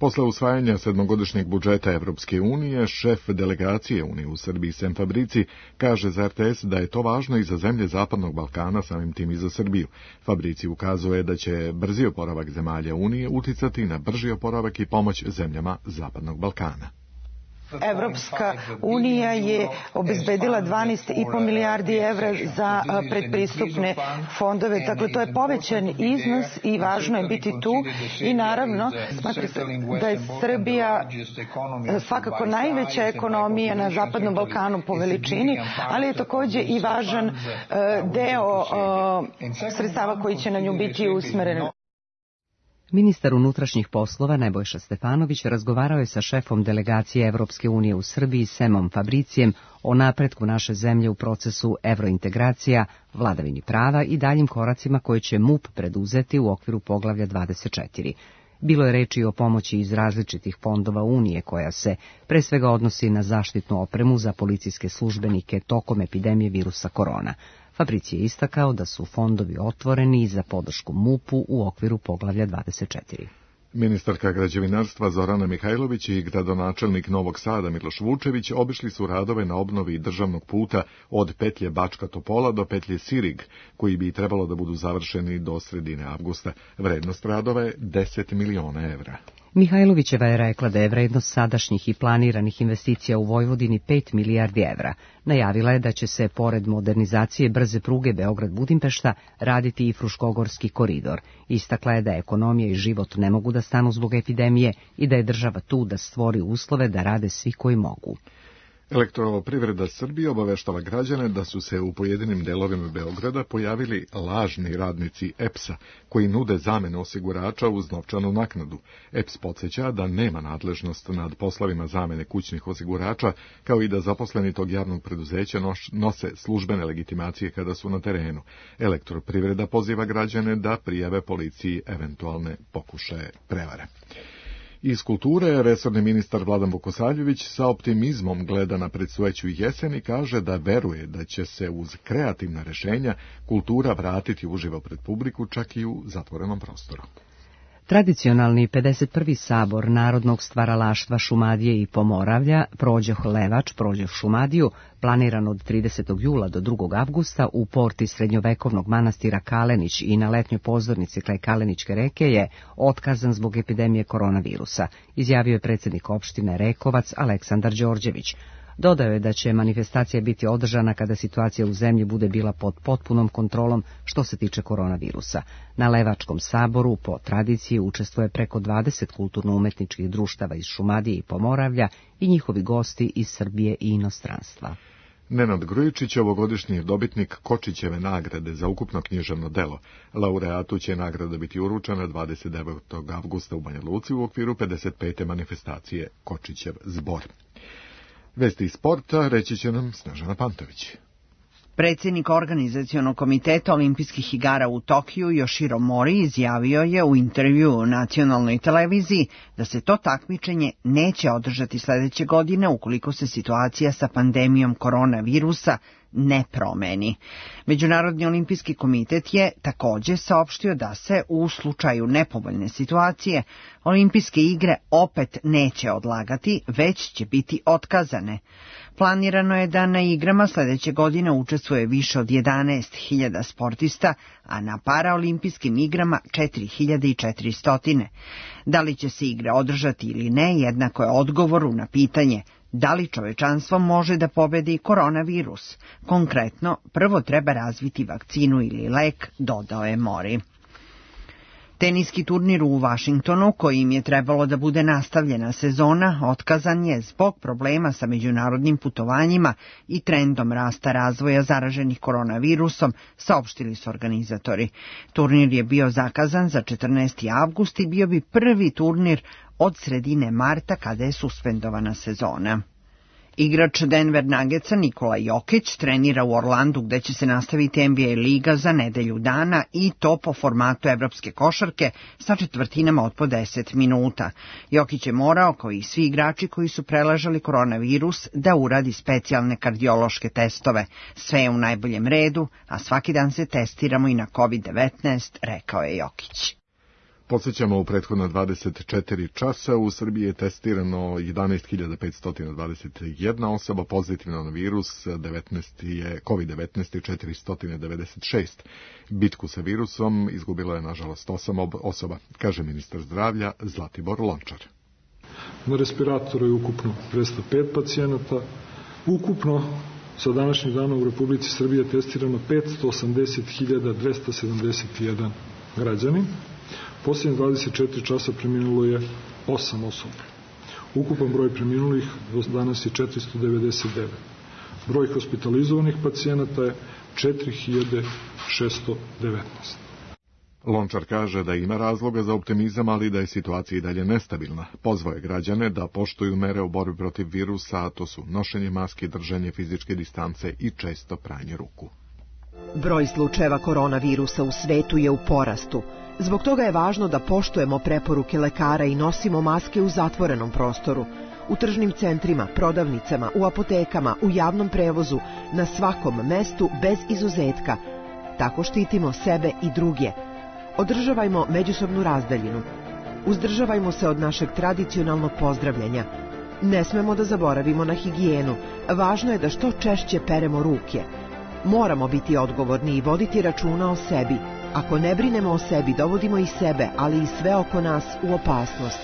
Posle usvajanja sedmogodišnjeg budžeta Evropske unije, šef delegacije Unije u Srbiji Sem Fabrici kaže za RTS da je to važno i za zemlje Zapadnog Balkana, samim tim i za Srbiju. Fabrici ukazuje da će brzi oporavak zemalja Unije uticati na brži oporavak i pomoć zemljama Zapadnog Balkana. Evropska unija je obezbedila 12,5 milijardi evra za predpristupne fondove. Dakle, to je povećan iznos i važno je biti tu. I naravno, smatra se da je Srbija svakako najveća ekonomija na Zapadnom Balkanu po veličini, ali je takođe i važan deo sredstava koji će na nju biti usmeren. Ministar unutrašnjih poslova Nebojša Stefanović razgovarao je sa šefom delegacije Evropske unije u Srbiji Semom Fabricijem o napretku naše zemlje u procesu evrointegracija, vladavini prava i daljim koracima koje će MUP preduzeti u okviru poglavlja 24. Bilo je reči o pomoći iz različitih fondova Unije koja se pre svega odnosi na zaštitnu opremu za policijske službenike tokom epidemije virusa korona. Fabricije je istakao da su fondovi otvoreni za podršku MUP-u u okviru poglavlja 24. Ministarka građevinarstva Zorana Mihajlović i gradonačelnik Novog Sada Miloš Vučević obišli su radove na obnovi državnog puta od petlje Bačka Topola do petlje Sirig, koji bi trebalo da budu završeni do sredine avgusta. Vrednost radova je 10 miliona evra. Mihajlovićeva je rekla da je vrednost sadašnjih i planiranih investicija u Vojvodini 5 milijardi evra. Najavila je da će se, pored modernizacije brze pruge Beograd-Budimpešta, raditi i Fruškogorski koridor. Istakla je da ekonomija i život ne mogu da stanu zbog epidemije i da je država tu da stvori uslove da rade svi koji mogu. Elektroprivreda Srbije obaveštava građane da su se u pojedinim delovima Beograda pojavili lažni radnici EPS-a koji nude zamenu osigurača uz novčanu naknadu. EPS podsjeća da nema nadležnost nad poslovima zamene kućnih osigurača, kao i da zaposleni tog javnog preduzeća nose službene legitimacije kada su na terenu. Elektroprivreda poziva građane da prijave policiji eventualne pokušaje prevare. Iz kulture, resorni ministar Vladan Vukosavljević sa optimizmom gleda na predstojeću jesen i kaže da veruje da će se uz kreativna rešenja kultura vratiti uživo pred publiku, čak i u zatvorenom prostoru. Tradicionalni 51. sabor narodnog stvaralaštva Šumadije i Pomoravlja, Prođoh Levač, Prođoh Šumadiju, planiran od 30. jula do 2. avgusta u porti srednjovekovnog manastira Kalenić i na letnjoj pozornici kraj Kalenićke reke je otkazan zbog epidemije koronavirusa, izjavio je predsjednik opštine Rekovac Aleksandar Đorđević. Dodao je da će manifestacija biti održana kada situacija u zemlji bude bila pod potpunom kontrolom što se tiče koronavirusa. Na Levačkom saboru po tradiciji učestvuje preko 20 kulturno-umetničkih društava iz Šumadije i Pomoravlja i njihovi gosti iz Srbije i inostranstva. Nenad Grujičić, ovogodišnji dobitnik Kočićeve nagrade za ukupno književno delo. Laureatu će nagrada biti uručena 29. avgusta u Banja Luci u okviru 55. manifestacije Kočićev zbor. Vesti iz sporta reći će nam Snežana Pantović. Predsjednik organizacionog komiteta olimpijskih igara u Tokiju Yoshiro Mori izjavio je u intervju u nacionalnoj televiziji da se to takmičenje neće održati sledeće godine ukoliko se situacija sa pandemijom koronavirusa ne promeni. Međunarodni olimpijski komitet je takođe saopštio da se u slučaju nepovoljne situacije olimpijske igre opet neće odlagati, već će biti otkazane. Planirano je da na igrama sledeće godine učestvuje više od 11.000 sportista, a na paraolimpijskim igrama 4.400. Da li će se igre održati ili ne, jednako je odgovoru na pitanje da li čovečanstvo može da pobedi koronavirus. Konkretno, prvo treba razviti vakcinu ili lek, dodao je Mori. Teniski turnir u Vašingtonu, kojim je trebalo da bude nastavljena sezona, otkazan je zbog problema sa međunarodnim putovanjima i trendom rasta razvoja zaraženih koronavirusom, saopštili su organizatori. Turnir je bio zakazan za 14. avgust i bio bi prvi turnir od sredine marta kada je suspendovana sezona. Igrač Denver Nuggetsa Nikola Jokić trenira u Orlandu gde će se nastaviti NBA liga za nedelju dana i to po formatu evropske košarke sa četvrtinama od po 10 minuta. Jokić je morao, kao i svi igrači koji su preležali koronavirus, da uradi specijalne kardiološke testove. Sve je u najboljem redu, a svaki dan se testiramo i na COVID-19, rekao je Jokić. Podsjećamo, u prethodna 24 časa u Srbiji je testirano 11.521 osoba pozitivna na virus, COVID-19 i 496. Bitku sa virusom izgubilo je nažalost 8 osoba, kaže ministar zdravlja Zlatibor Lončar. Na respiratoru je ukupno 205 pacijenata. Ukupno sa današnjih dana u Republici Srbije je testirano 580.271 građanin. Posljednje 24 časa preminulo je 8 osoba. Ukupan broj preminulih danas je 499. Broj hospitalizovanih pacijenata je 4619. Lončar kaže da ima razloga za optimizam, ali da je situacija i dalje nestabilna. Pozvao je građane da poštuju mere u borbi protiv virusa, a to su nošenje maske, držanje fizičke distance i često pranje ruku. Broj slučajeva koronavirusa u svetu je u porastu. Zbog toga je važno da poštujemo preporuke lekara i nosimo maske u zatvorenom prostoru, u tržnim centrima, prodavnicama, u apotekama, u javnom prevozu, na svakom mestu bez izuzetka. Tako štitimo sebe i druge. Održavajmo međusobnu razdaljinu. Uzdržavajmo se od našeg tradicionalnog pozdravljanja. Ne smemo da zaboravimo na higijenu. Važno je da što češće peremo ruke. Moramo biti odgovorni i voditi računa o sebi. Ako ne brinemo o sebi, dovodimo i sebe, ali i sve oko nas u opasnost.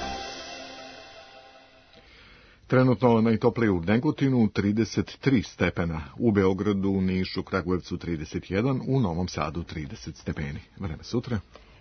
Trenutno najtoplije u Negotinu 33 stepena, u Beogradu, Nišu, Kragujevcu 31, u Novom Sadu 30 stepeni. Vreme sutra.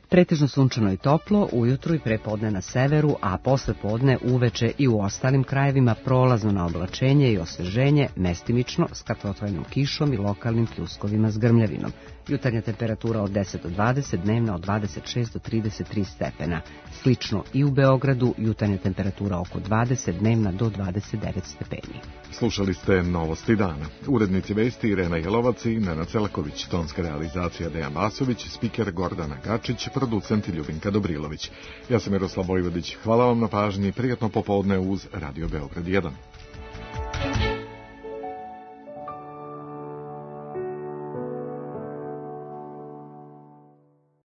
Pretežno sunčano i toplo, ujutru i prepodne na severu, a posle podne uveče i u ostalim krajevima prolazno na oblačenje i osveženje, mestimično s kratkotrajnom kišom i lokalnim pljuskovima s grmljavinom. Jutarnja temperatura od 10 do 20, dnevna od 26 do 33 stepena. Slično i u Beogradu, jutarnja temperatura oko 20, dnevna do 29 stepeni. Slušali ste Novosti dana. Urednici vesti Irena Jelovac i Nenad Celaković, tonska realizacija Dejan Vasović, spiker Gordana Gačić, producent Ljubinka Dobrilović. Ja sam Miroslav Vojvodić. Hvala vam na pažnji, prijatno popodne uz Radio Beograd 1.